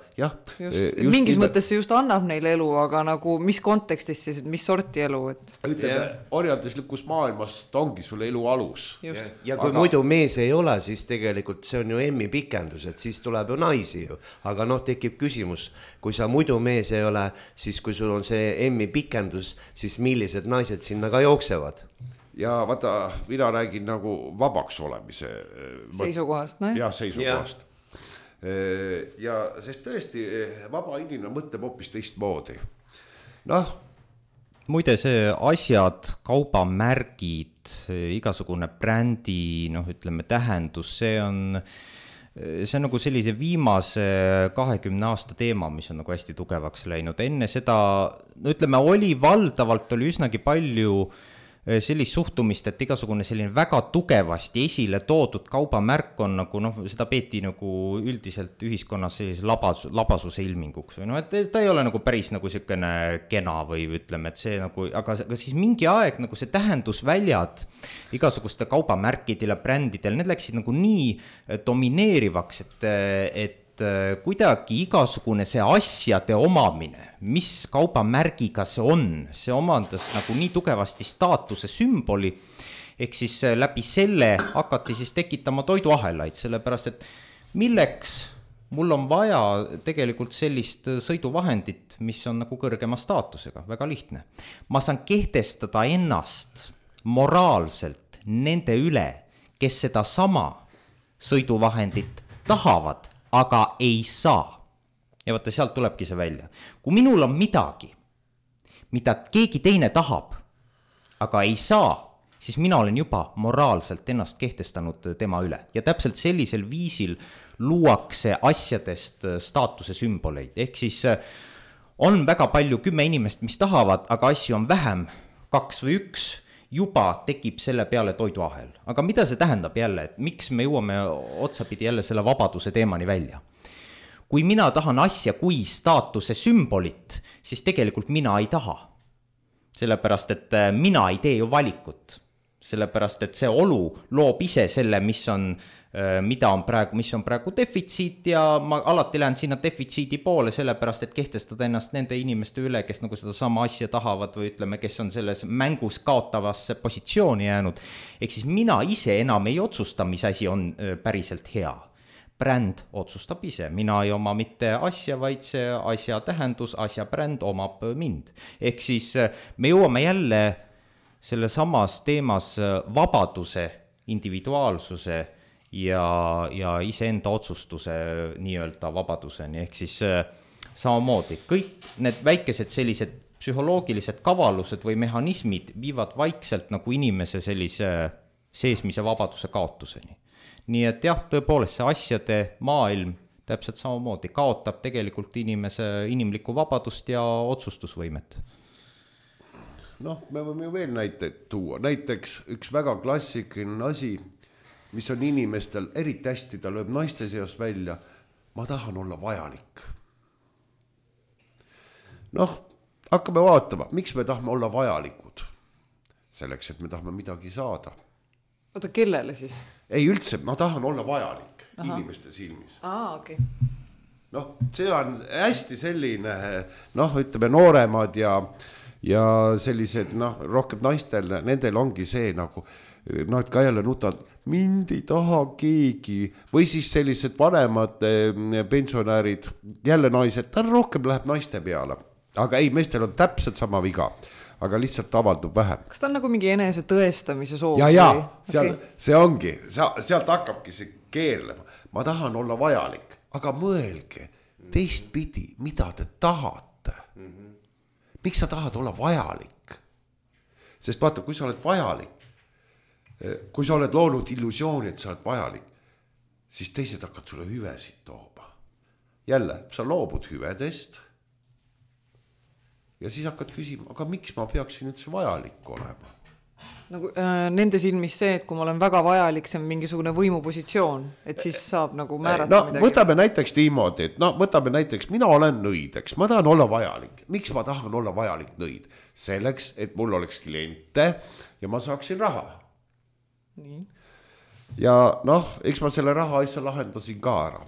Mingis mõttes see just annab neile elu, aga nagu mis kontekstis siis, mis sorti elu? Ütleme, orjanduslikus maailmas ta ongi sulle elu alus. Ja kui muidu mees ei ole, siis tegelikult see on ju emmi pikendus, et siis tuleb ju naisi ju. Aga tekib küsimus, kui sa muidu mees ei ole, siis kui sul on see emmi pikendus, siis millised naised sinna ka jooksevad? Ja vaata, mina räägin nagu vabaks olemise seisukohast, no? Ja seisukohast. Ja sest tõesti vaba inimene mõtleb hoopis teistmoodi. Muide see asjad, kaubamärgid, igasugune brändi, ütleme tähendus, see on nagu sellise viimase 20 aasta teema, mis on nagu hästi tugevaks läinud. Enne seda, ütleme, oli üsnagi palju sellist suhtumist, et igasugune selline väga tugevasti esile toodud kaubamärk on nagu, seda peeti nagu üldiselt ühiskonnas sellise labasuse ilminguks. Või et ta ei ole nagu päris nagu selline kena või ütleme, et see nagu, aga siis mingi aeg nagu see tähendusväljad igasuguste kaubamärkidele, brändidele, need läksid nagu nii domineerivaks, et kuidagi igasugune see asjade omamine, mis kaubamärgiga see omandas nagu nii tugevasti staatuse sümboli, ehk siis läbi selle hakati siis tekitama toiduahelaid, sellepärast et milleks mul on vaja tegelikult sellist sõiduvahendit, mis on nagu kõrgema staatusega, väga lihtne. Ma saan kehtestada ennast moraalselt nende üle, kes seda sama sõiduvahendit tahavad, aga ei saa. Ja vaata, sealt tulebki see välja. Kui minul on midagi, mida keegi teine tahab, aga ei saa, siis mina olen juba moraalselt ennast kehtestanud tema üle. Ja täpselt sellisel viisil luuakse asjadest staatuse sümboleid. Ehk siis on väga palju 10 inimest, mis tahavad, aga asju on vähem, 2 või 1, juba tekib selle peale toiduahel. Aga mida see tähendab jälle, et miks me jõuame otsapidi jälle selle vabaduse teemani välja? Kui mina tahan asja kui staatuse sümbolit, siis tegelikult mina ei taha. Sellepärast, et mina ei tee ju valikut. sellepärast et see olu loob ise selle, mis on praegu defitsiit ja ma alati lähen sinna defitsiidi poole, sellepärast et kehtestada ennast nende inimeste üle, kes nagu seda sama asja tahavad või ütleme, kes on selles mängus kaotavasse positsiooni jäänud. Ehk siis mina ise enam ei otsusta, mis asi on päriselt hea. Bränd otsustab ise, mina ei oma mitte asja, vaid see asja tähendus, asja bränd omab mind. Ehk siis me jõuame jälle selle samas teemas vabaduse, individuaalsuse ja iseenda otsustuse nii-öelda vabaduseni, ehk siis samamoodi kõik need väikesed sellised psühholoogilised kavalused või mehhanismid viivad vaikselt nagu inimese sellise seesmise vabaduse kaotuseni. Nii et jah, tõepoolest see asjade maailm täpselt samamoodi kaotab tegelikult inimlikku vabadust ja otsustusvõimet. Noh, me võime ju veel näiteid tuua, näiteks üks väga klassikaline asi, mis on inimestel eriti hästi, ta lööb naiste seas välja, ma tahan olla vajalik. Noh, hakkame vaatama, miks me tahame olla vajalikud? Selleks, et me tahame midagi saada. Oota, kellele siis? Ei üldse, ma tahan olla vajalik inimeste silmis. Okay. Noh, see on hästi selline, noh, ütleme nooremad ja sellised, noh, rohkem naistel, nendel ongi see nagu, nad ka jälle nutavad, mind ei taha keegi, või siis sellised vanemad pensionärid, jälle naised, ta rohkem läheb naiste peale, aga ei, meestel on täpselt sama viga, aga lihtsalt avaldub vähem. Kas ta on nagu mingi enese tõestamise soov? Ja, seal, okay. See ongi, sealt hakkabki see keerlema, ma tahan olla vajalik, aga mõelge teistpidi, mida te tahate. Miks sa tahad olla vajalik? Sest vaata, kui sa oled vajalik, kui sa oled loonud illusiooni, et sa oled vajalik, siis teised hakkad sulle hüvesid tooma. Jälle, sa loobud hüvedest ja siis hakkad küsima, aga miks ma peaksin üldse vajalik olema? Nagu nende silmis see, et kui ma olen väga vajalik, see on mingisugune võimupositsioon, et siis saab nagu määrata midagi. Võtame näiteks niimoodi, et võtame näiteks, mina olen nõideks, ma tahan olla vajalik. Miks ma tahan olla vajalik nõid? Selleks, et mul oleks kliente ja ma saaksin raha. Nii. Ja noh, eks ma selle raha asja lahendasin ka ära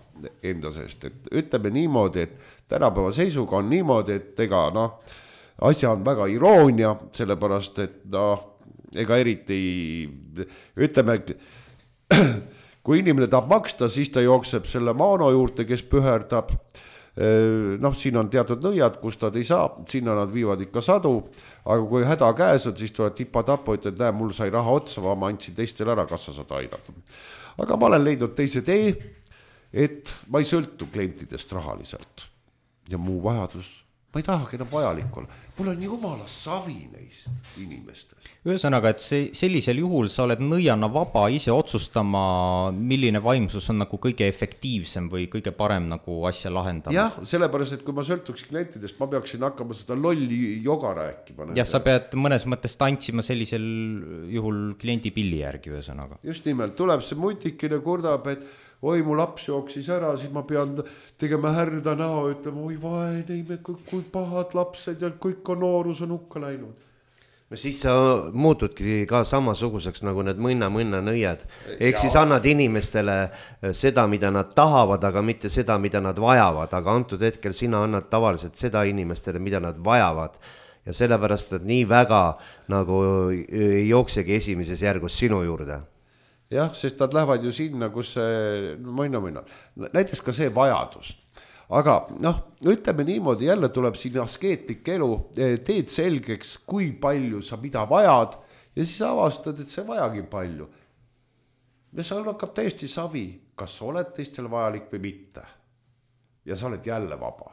enda seest, et ütleme niimoodi, et tänapäeva seisuga on niimoodi, et ega noh, asja on väga iroonia, sellepärast, et noh, ega eriti ütleme, kui inimene tahab maksta, siis ta jookseb selle maano juurde, kes püherdab. Noh, siin on teatud nõiad, kus nad ei saa, sinna nad viivad ikka sadu, aga kui häda käes on, siis tuleb tipa-tapo, ütled, näe, mul sai raha otsa, ma andsin teistel ära, kas sa saad aidata. Aga ma olen leidnud teise tee, et ma ei sõltu klientidest rahaliselt ja muu vajadus. Ma ei tahagi enam vajalik olla. Mul on jumala savi neist inimestest. Ühesõnaga, et sellisel juhul sa oled nõiana vaba ise otsustama, milline vaimsus on nagu kõige efektiivsem või kõige parem nagu asja lahendama. Jah, sellepärast, et kui ma sõltuks klientidest, ma peaksin hakkama seda lolli joga rääkima. Jah, sa pead mõnes mõttes tantsima sellisel juhul kliendi pilli järgi ühesõnaga. Just nimelt, tuleb see mutikine kurdab, et oi, mu laps jooksis ära, siis ma pean tegema härda näo, ütlema, oi vaene, kui pahad lapsed ja kõik on noorus on hukka läinud. No siis sa muutudki ka samasuguseks nagu need mõnna nõiad. Ehk siis annad inimestele seda, mida nad tahavad, aga mitte seda, mida nad vajavad. Aga antud hetkel sina annad tavaliselt seda inimestele, mida nad vajavad. Ja sellepärast, et nii väga nagu ei jooksegi esimeses järgus sinu juurde. Jah, sest nad lähevad ju sinna, kus see mõina. Näiteks ka see vajadus. Aga noh, ütleme niimoodi, jälle tuleb siin askeetlik elu, teed selgeks, kui palju sa mida vajad ja siis avastad, et see vajagi palju. Ja sa hakkab täiesti savi, kas sa oled teistel vajalik või mitte. Ja sa oled jälle vaba.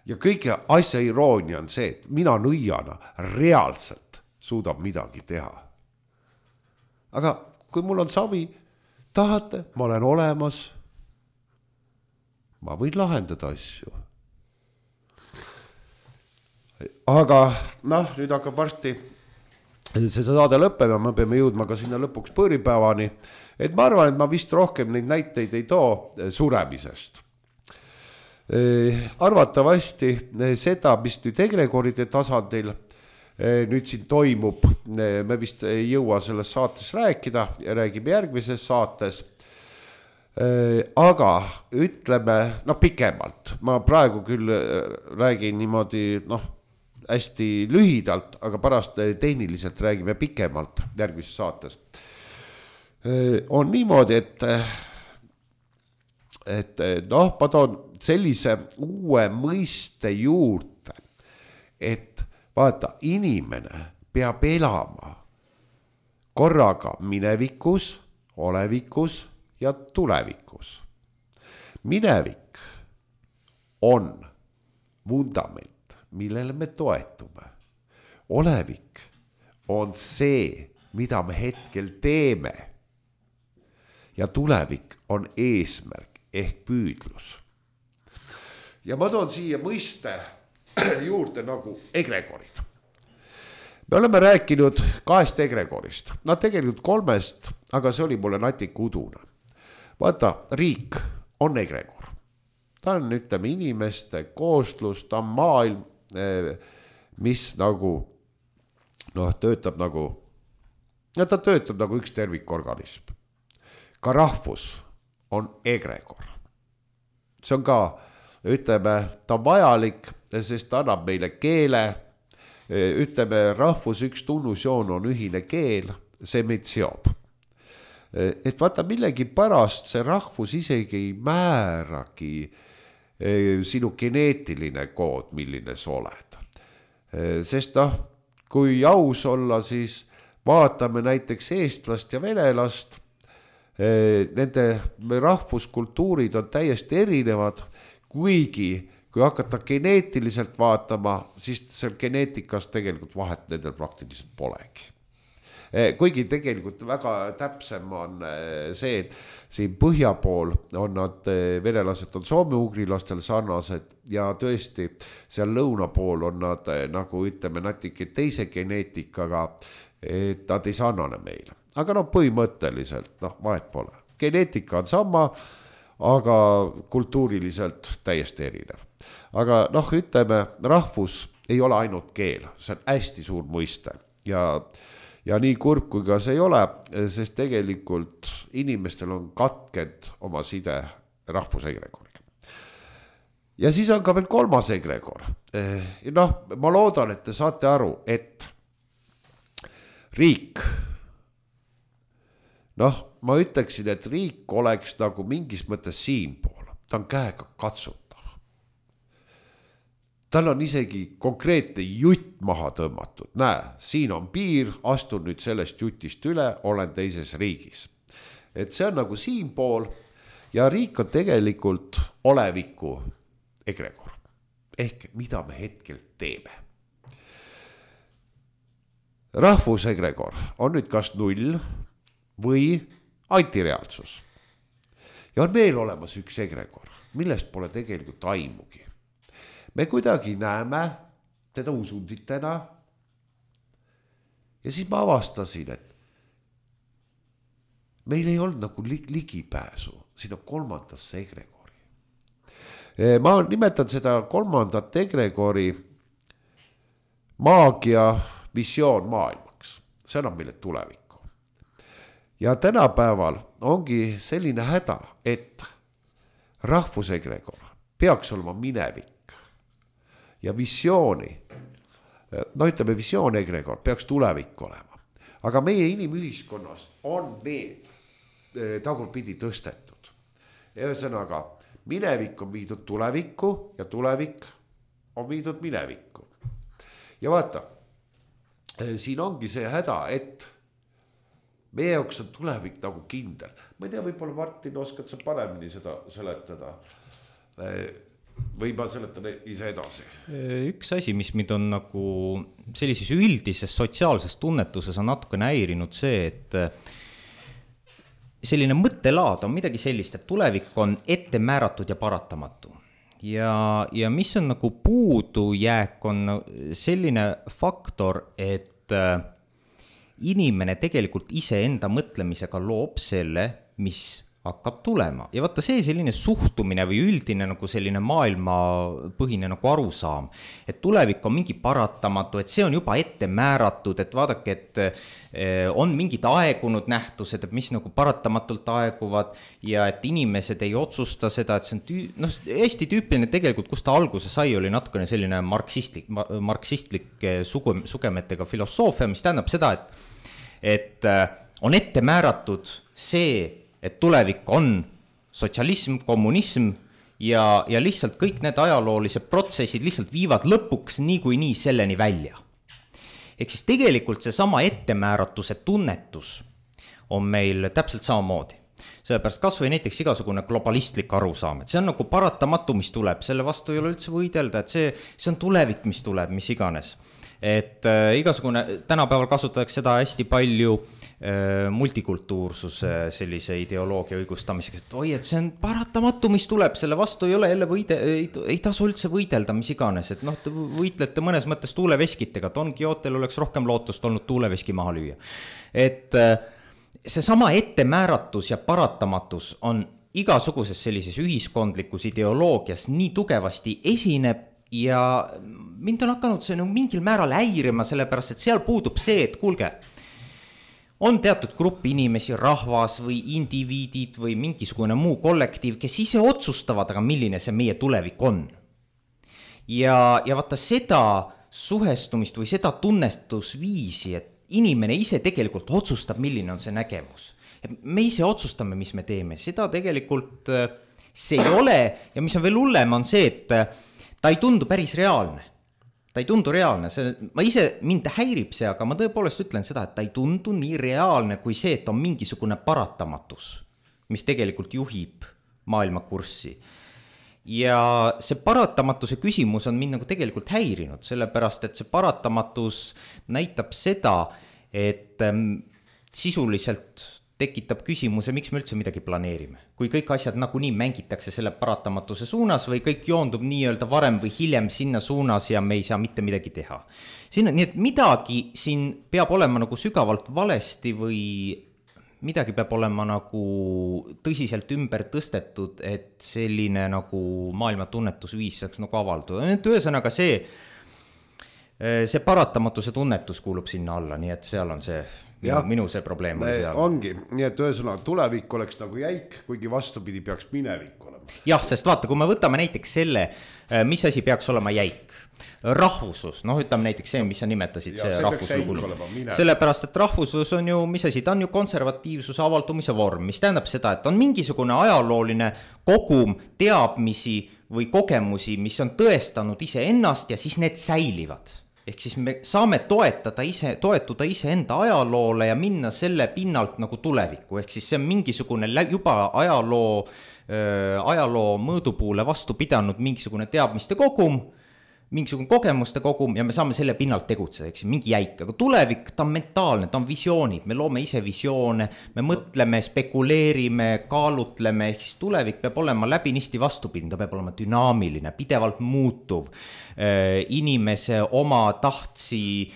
Ja kõige asja iroonia on see, et mina nõiana reaalselt suudab midagi teha. Aga kui mul on savi, tahate, ma olen olemas, ma võin lahendada asju. Aga noh, nüüd hakkab varsti see saade lõppema, me peame jõudma ka sinna lõpuks põõripäevani, et ma arvan, et ma vist rohkem neid näiteid ei too suremisest. Arvatavasti seda, mis nüüd egregoride tasandil nüüd siin toimub, me vist ei jõua selles saates rääkida ja räägime järgmises saates. Aga ütleme, pikemalt, ma praegu küll räägin niimoodi, hästi lühidalt, aga pärast tehniliselt räägime pikemalt järgmises saates. On niimoodi, et ma toon sellise uue mõiste juurde, et vaata, inimene peab elama korraga minevikus, olevikus ja tulevikus. Minevik on vundament, millele me toetume. Olevik on see, mida me hetkel teeme. Ja tulevik on eesmärk ehk püüdlus. Ja ma toon siia mõiste juurde nagu egregorid. Me oleme rääkinud 2 egregorist, tegelikult 3, aga see oli mulle natuke udune. Vaata, riik on egregor. Ta on, ütleme, inimeste kooslus, ta on maailm, mis nagu, töötab nagu üks tervikorganism. Ka rahvus on egregor. See on ka, ütleme, ta on vajalik, sest ta annab meile keele. Ütleme, rahvus üks tunnusjoon on ühine keel, see meid seob. Et vaata, millegi pärast see rahvus isegi ei määragi sinu geneetiline kood, milline sa oled. Sest kui aus olla, siis vaatame näiteks eestlast ja venelast, nende rahvuskultuurid on täiesti erinevad, kuigi kui hakata geneetiliselt vaatama, siis seal geneetikas tegelikult vahet nendel praktiliselt polegi. Kuigi tegelikult väga täpsem on see, et siin põhja pool on nad, venelased on soome-ugrilastel sarnased ja tõesti seal lõuna pool on nad nagu ütleme natuke teise geneetikaga, et nad ei sarnane meile. Aga põhimõtteliselt vahet pole. Geneetika on sama, aga kultuuriliselt täiesti erinev. Aga ütleme, rahvus ei ole ainult keel, see on hästi suur mõiste ja nii kurb kui ka see ei ole, sest tegelikult inimestel on katkend oma side rahvusegregoriga. Ja siis on ka veel 3. egregor. Ma loodan, et te saate aru, et riik, ma ütleksin, et riik oleks nagu mingis mõttes siinpool, ta on käega katsutav. Tal on isegi konkreetne jutt maha tõmmatud. Näe, siin on piir, astun nüüd sellest jutist üle, olen teises riigis. Et see on nagu siinpool ja riik on tegelikult oleviku egregor. Ehk mida me hetkel teeme. Rahvusegregor on nüüd kas 0 või antireaalsus. Ja on veel olemas üks egregor, millest pole tegelikult aimugi. Me kuidagi näeme teda usunditena ja siis ma avastasin, et meil ei olnud nagu ligipääsu sinna 3. egregori. Ma nimetan seda 3. egregori maagia visioon maailmaks. See annab meile tulevikku. Ja tänapäeval ongi selline häda, et rahvusegregor peaks olema minevik. Ja visiooni, ütleme visioonegregor peaks tulevik olema. Aga meie inimühiskonnas on need tagurpidi tõstetud. Ühesõnaga, minevik on viidud tulevikku ja tulevik on viidud minevikku. Ja vaata, siin ongi see häda, et meie jaoks on tulevik nagu kindel. Ma ei tea, võib-olla Martin oskad sa paremini seda seletada. Või ma seletan ise edasi. Üks asi, mis mind on nagu sellises üldises sotsiaalses tunnetuses on natuke häirinud see, et selline mõttelaad on midagi sellist, et tulevik on ette määratud ja paratamatu. Ja mis on nagu puudujääk on selline faktor, et inimene tegelikult iseenda mõtlemisega loob selle, mis hakkab tulema ja vaata see selline suhtumine või üldine nagu selline maailmapõhine nagu arusaam, et tulevik on mingi paratamatu, et see on juba ette määratud, et vaadake, et on mingid aegunud nähtused, et mis nagu paratamatult aeguvad ja et inimesed ei otsusta seda, et see on hästi tüüpiline tegelikult, kus ta alguse sai, oli natukene selline marksistlik sugemetega filosoofia, mis tähendab seda, et on ette määratud see, et tulevik on sotsialism, kommunism ja lihtsalt kõik need ajaloolised protsessid lihtsalt viivad lõpuks niikuinii selleni välja. Ehk siis tegelikult see sama ettemääratuse tunnetus on meil täpselt samamoodi. Sellepärast kas või näiteks igasugune globalistlik arusaam, et see on nagu paratamatu, mis tuleb, selle vastu ei ole üldse võidelda, et see on tulevik, mis tuleb, mis iganes. Et igasugune, tänapäeval kasutatakse seda hästi palju multikultuursuse sellise ideoloogia õigustamiseks, et oi, et see on paratamatu, mis tuleb, selle vastu ei ole jälle ei tasu üldse võidelda, mis iganes, et te võitlete mõnes mõttes tuuleveskitega, Don Quixotel oleks rohkem lootust olnud tuuleveski maha lüüa. Et see sama ettemääratus ja paratamatus on igasuguses sellises ühiskondlikus ideoloogias nii tugevasti esineb ja mind on hakanud see mingil määral häirima, sellepärast et seal puudub see, et kuulge, on teatud grupp inimesi, rahvas või indiviidid või mingisugune muu kollektiiv, kes ise otsustavad, aga milline see meie tulevik on. Ja vaata seda suhestumist või seda tunnestusviisi, et inimene ise tegelikult otsustab, milline on see nägemus. Me ise otsustame, mis me teeme, seda tegelikult see ei ole ja mis on veel hullem, on see, et ta ei tundu päris reaalne. Ta ei tundu reaalne, mind häirib see, aga ma tõepoolest ütlen seda, et ta ei tundu nii reaalne kui see, et on mingisugune paratamatus, mis tegelikult juhib maailmakurssi. Ja see paratamatuse küsimus on mind nagu tegelikult häirinud, sellepärast et see paratamatus näitab seda, et sisuliselt tekitab küsimuse, miks me üldse midagi planeerime. Kui kõik asjad nagunii mängitakse selle paratamatuse suunas või kõik joondub nii-öelda varem või hiljem sinna suunas ja me ei saa mitte midagi teha. Nii et midagi siin peab olema nagu sügavalt valesti või midagi peab olema nagu tõsiselt ümber tõstetud, et selline nagu maailma tunnetusviis saaks nagu avalduda. Ühesõnaga see paratamatuse tunnetus kuulub sinna alla, nii et seal on see minu see probleem ongi, nii et ühesõnaga tulevik oleks nagu jäik, kuigi vastupidi peaks minevik olema. Jah, sest vaata, kui me võtame näiteks selle, mis asi peaks olema jäik, rahvuslus, ütleme näiteks see, mis sa nimetasid, see rahvuslugul. Sellepärast, et rahvuslus on ju, mis asi, ta on ju konservatiivsuse avaldumise vorm, mis tähendab seda, et on mingisugune ajalooline kogum teadmisi või kogemusi, mis on tõestanud iseennast ja siis need säilivad. Ehk siis me saame toetuda iseenda ajaloole ja minna selle pinnalt nagu tulevikku. Ehk siis see on mingisugune juba ajaloo mõõdupuule vastu pidanud mingisugune teadmiste kogum, mingisugune kogemuste kogum ja me saame selle pinnalt tegutseda, ehk siis mingi jäik. Aga tulevik, ta on mentaalne, ta on visioonid, me loome ise visioone, me mõtleme, spekuleerime, kaalutleme, ehk siis tulevik peab olema läbinisti vastupidine, ta peab olema dünaamiline, pidevalt muutuv, inimese oma tahtsi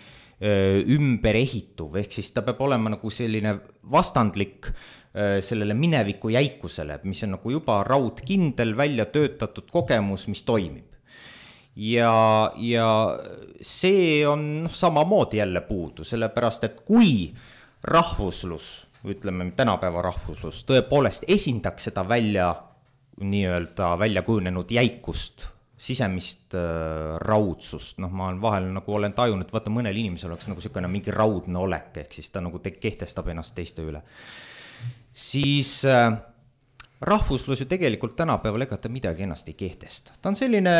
ümber ehituv, ehk siis ta peab olema nagu selline vastandlik sellele mineviku jäikusele, mis on nagu juba raudkindel välja töötatud kogemus, mis toimib. Ja see on samamoodi jälle puudu, sellepärast, et kui rahvuslus, ütleme tänapäeva rahvuslus, tõepoolest esindaks seda nii-öelda välja kujunenud jäikust, sisemist raudsust, ma vahel nagu olen tajunud, et vaata mõnel inimesel oleks nagu selline mingi raudne olek, ehk siis ta nagu kehtestab ennast teiste üle. Siis rahvuslus ju tegelikult tänapäeval ega ta midagi ennast ei kehtesta. Ta on selline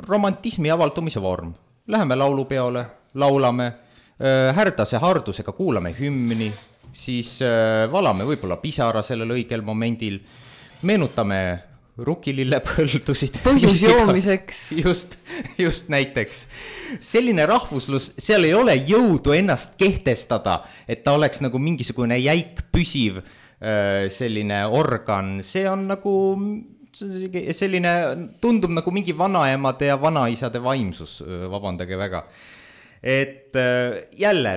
romantismi avaldumise vorm. Läheme laulupeole, laulame, härdase hardusega kuulame hümni, siis valame võib-olla pisara sellel õigel momendil, meenutame rukilillepõldusid. Põhjusjoomiseks. Just näiteks. Selline rahvuslus, seal ei ole jõudu ennast kehtestada, et ta oleks nagu mingisugune jäik püsiv selline organ, see on nagu selline, tundub nagu mingi vanaemade ja vanaisade vaimsus, vabandage väga. Et jälle,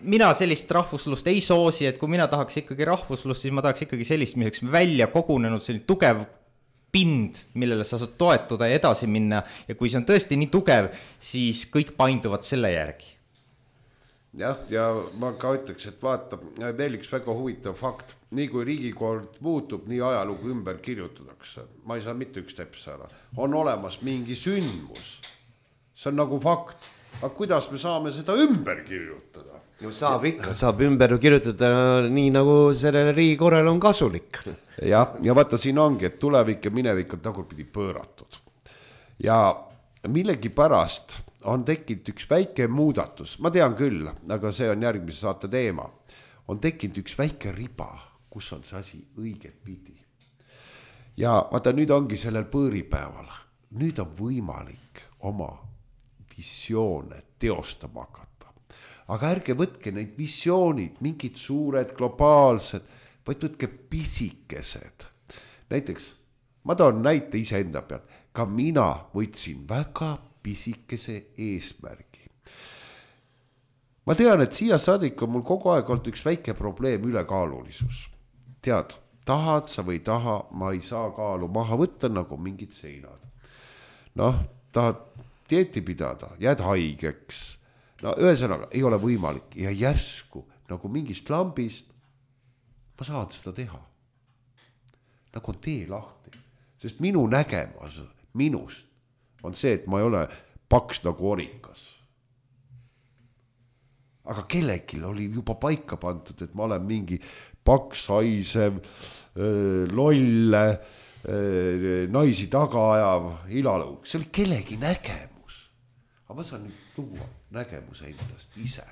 mina sellist rahvuslust ei soosi, et kui mina tahaks ikkagi rahvuslust, siis ma tahaks ikkagi sellist, mis välja kogunenud selline tugev pind, millele sa saad toetuda ja edasi minna ja kui see on tõesti nii tugev, siis kõik painduvad selle järgi. Jah, ja ma ka ütleks, et vaata, veel üks väga huvitav fakt, nii kui riigikord muutub, nii ajalugu ümber kirjutatakse. Ma ei saa mitte üks teps ära. On olemas mingi sündmus. See on nagu fakt. Aga kuidas me saame seda ümber kirjutada? No saab ikka, saab ümber kirjutada nii nagu sellele riigikorrale on kasulik. Ja vaata siin ongi, et tulevik ja minevik on tagurpidi pööratud. Ja millegi pärast on tekkinud üks väike muudatus, ma tean küll, aga see on järgmise saate teema, on tekkinud üks väike riba, kus on see asi õiget pidi. Ja vaata, nüüd ongi sellel põõripäeval, nüüd on võimalik oma visioone teostama hakata. Aga ärge võtke neid visioonid, mingid suured, globaalsed, vaid võtke pisikesed. Näiteks, ma toon näite iseenda peal, ka mina võtsin väga pisikese eesmärgi. Ma tean, et siia saadik on mul kogu aeg olnud üks väike probleem, ülekaalulisus. Tead, tahad sa või taha, ma ei saa kaalu maha võtta nagu mingid seinad. Tahad dieeti pidada, jääd haigeks. Ühesõnaga, ei ole võimalik ja järsku nagu mingist lambist ma saan seda teha. Nagu on tee lahti, sest minu nägemus minust on see, et ma ei ole paks nagu orikas. Aga kellelgi oli juba paika pandud, et ma olen mingi paks, haisev, lolle, naisi taga ajav ilalõug. See oli kellegi nägemus. Aga ma saan nüüd tuua nägemuse endast ise.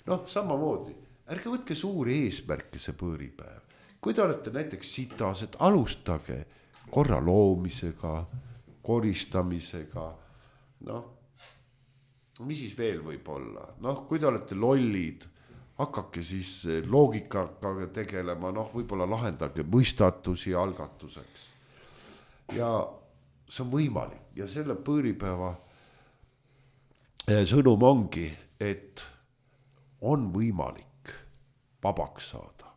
Samamoodi, ärge võtke suuri eesmärke see põõripäev. Kui te olete näiteks sitas, et alustage korra loomisega, koristamisega, mis siis veel võib olla? Kui te olete lollid, hakake siis loogikaga tegelema, võib-olla lahendage mõistatusi algatuseks. Ja see on võimalik ja selle põõripäeva sõnum ongi, et on võimalik vabaks saada.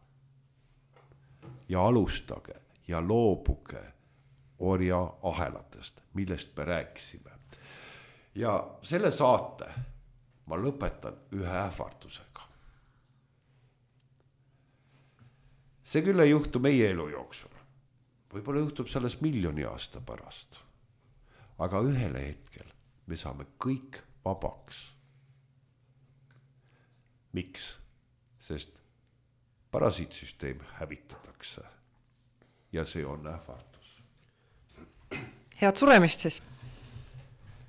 Ja alustage ja loobuge orja ahelatest, millest me rääkisime. Ja selle saate ma lõpetan ühe ähvardusega. See küll ei juhtu meie elu jooksul. Võib-olla juhtub selles 1 miljoni aasta pärast. Aga ühele hetkel me saame kõik vabaks. Miks? Sest parasiitsüsteem hävitatakse. Ja see on ähvardus. Head suremist siis.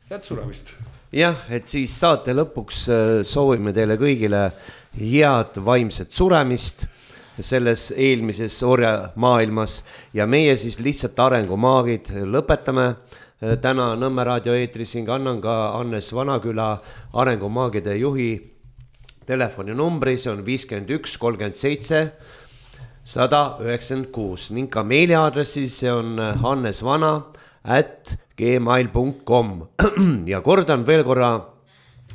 Head suremist. Jah, et siis saate lõpuks soovime teile kõigile head vaimset suremist selles eelmises orja maailmas ja meie siis lihtsalt arengumaagid lõpetame. Täna Nõmme raadio eetris annan ka Hannes Vanaküla arengumaagide juhi telefoninumbri, see on 51 37 196 ning ka meiliaadressi, see on hannesvana@gmail.com ja kordan veel korra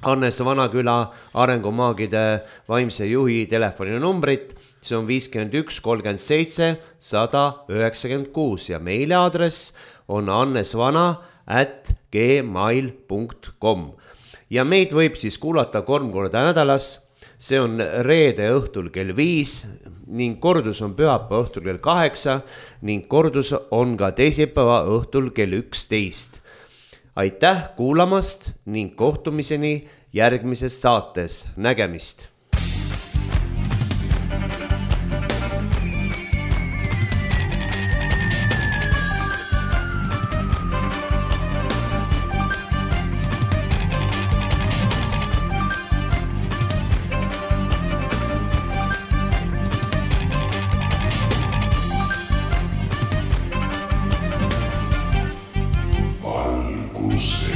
Hannes Vanaküla arengumaagide vaimse juhi telefoninumbrit, see on 51 37 196 ja meiliaadress on hannesvana@gmail.com ja meid võib siis kuulata 3 korda nädalas. See on reede õhtul kell 5 ning kordus on pühapäeva õhtul kell 8 ning kordus on ka teisipäeva õhtul kell 11. Aitäh kuulamast ning kohtumiseni järgmises saates. Nägemist! Valgus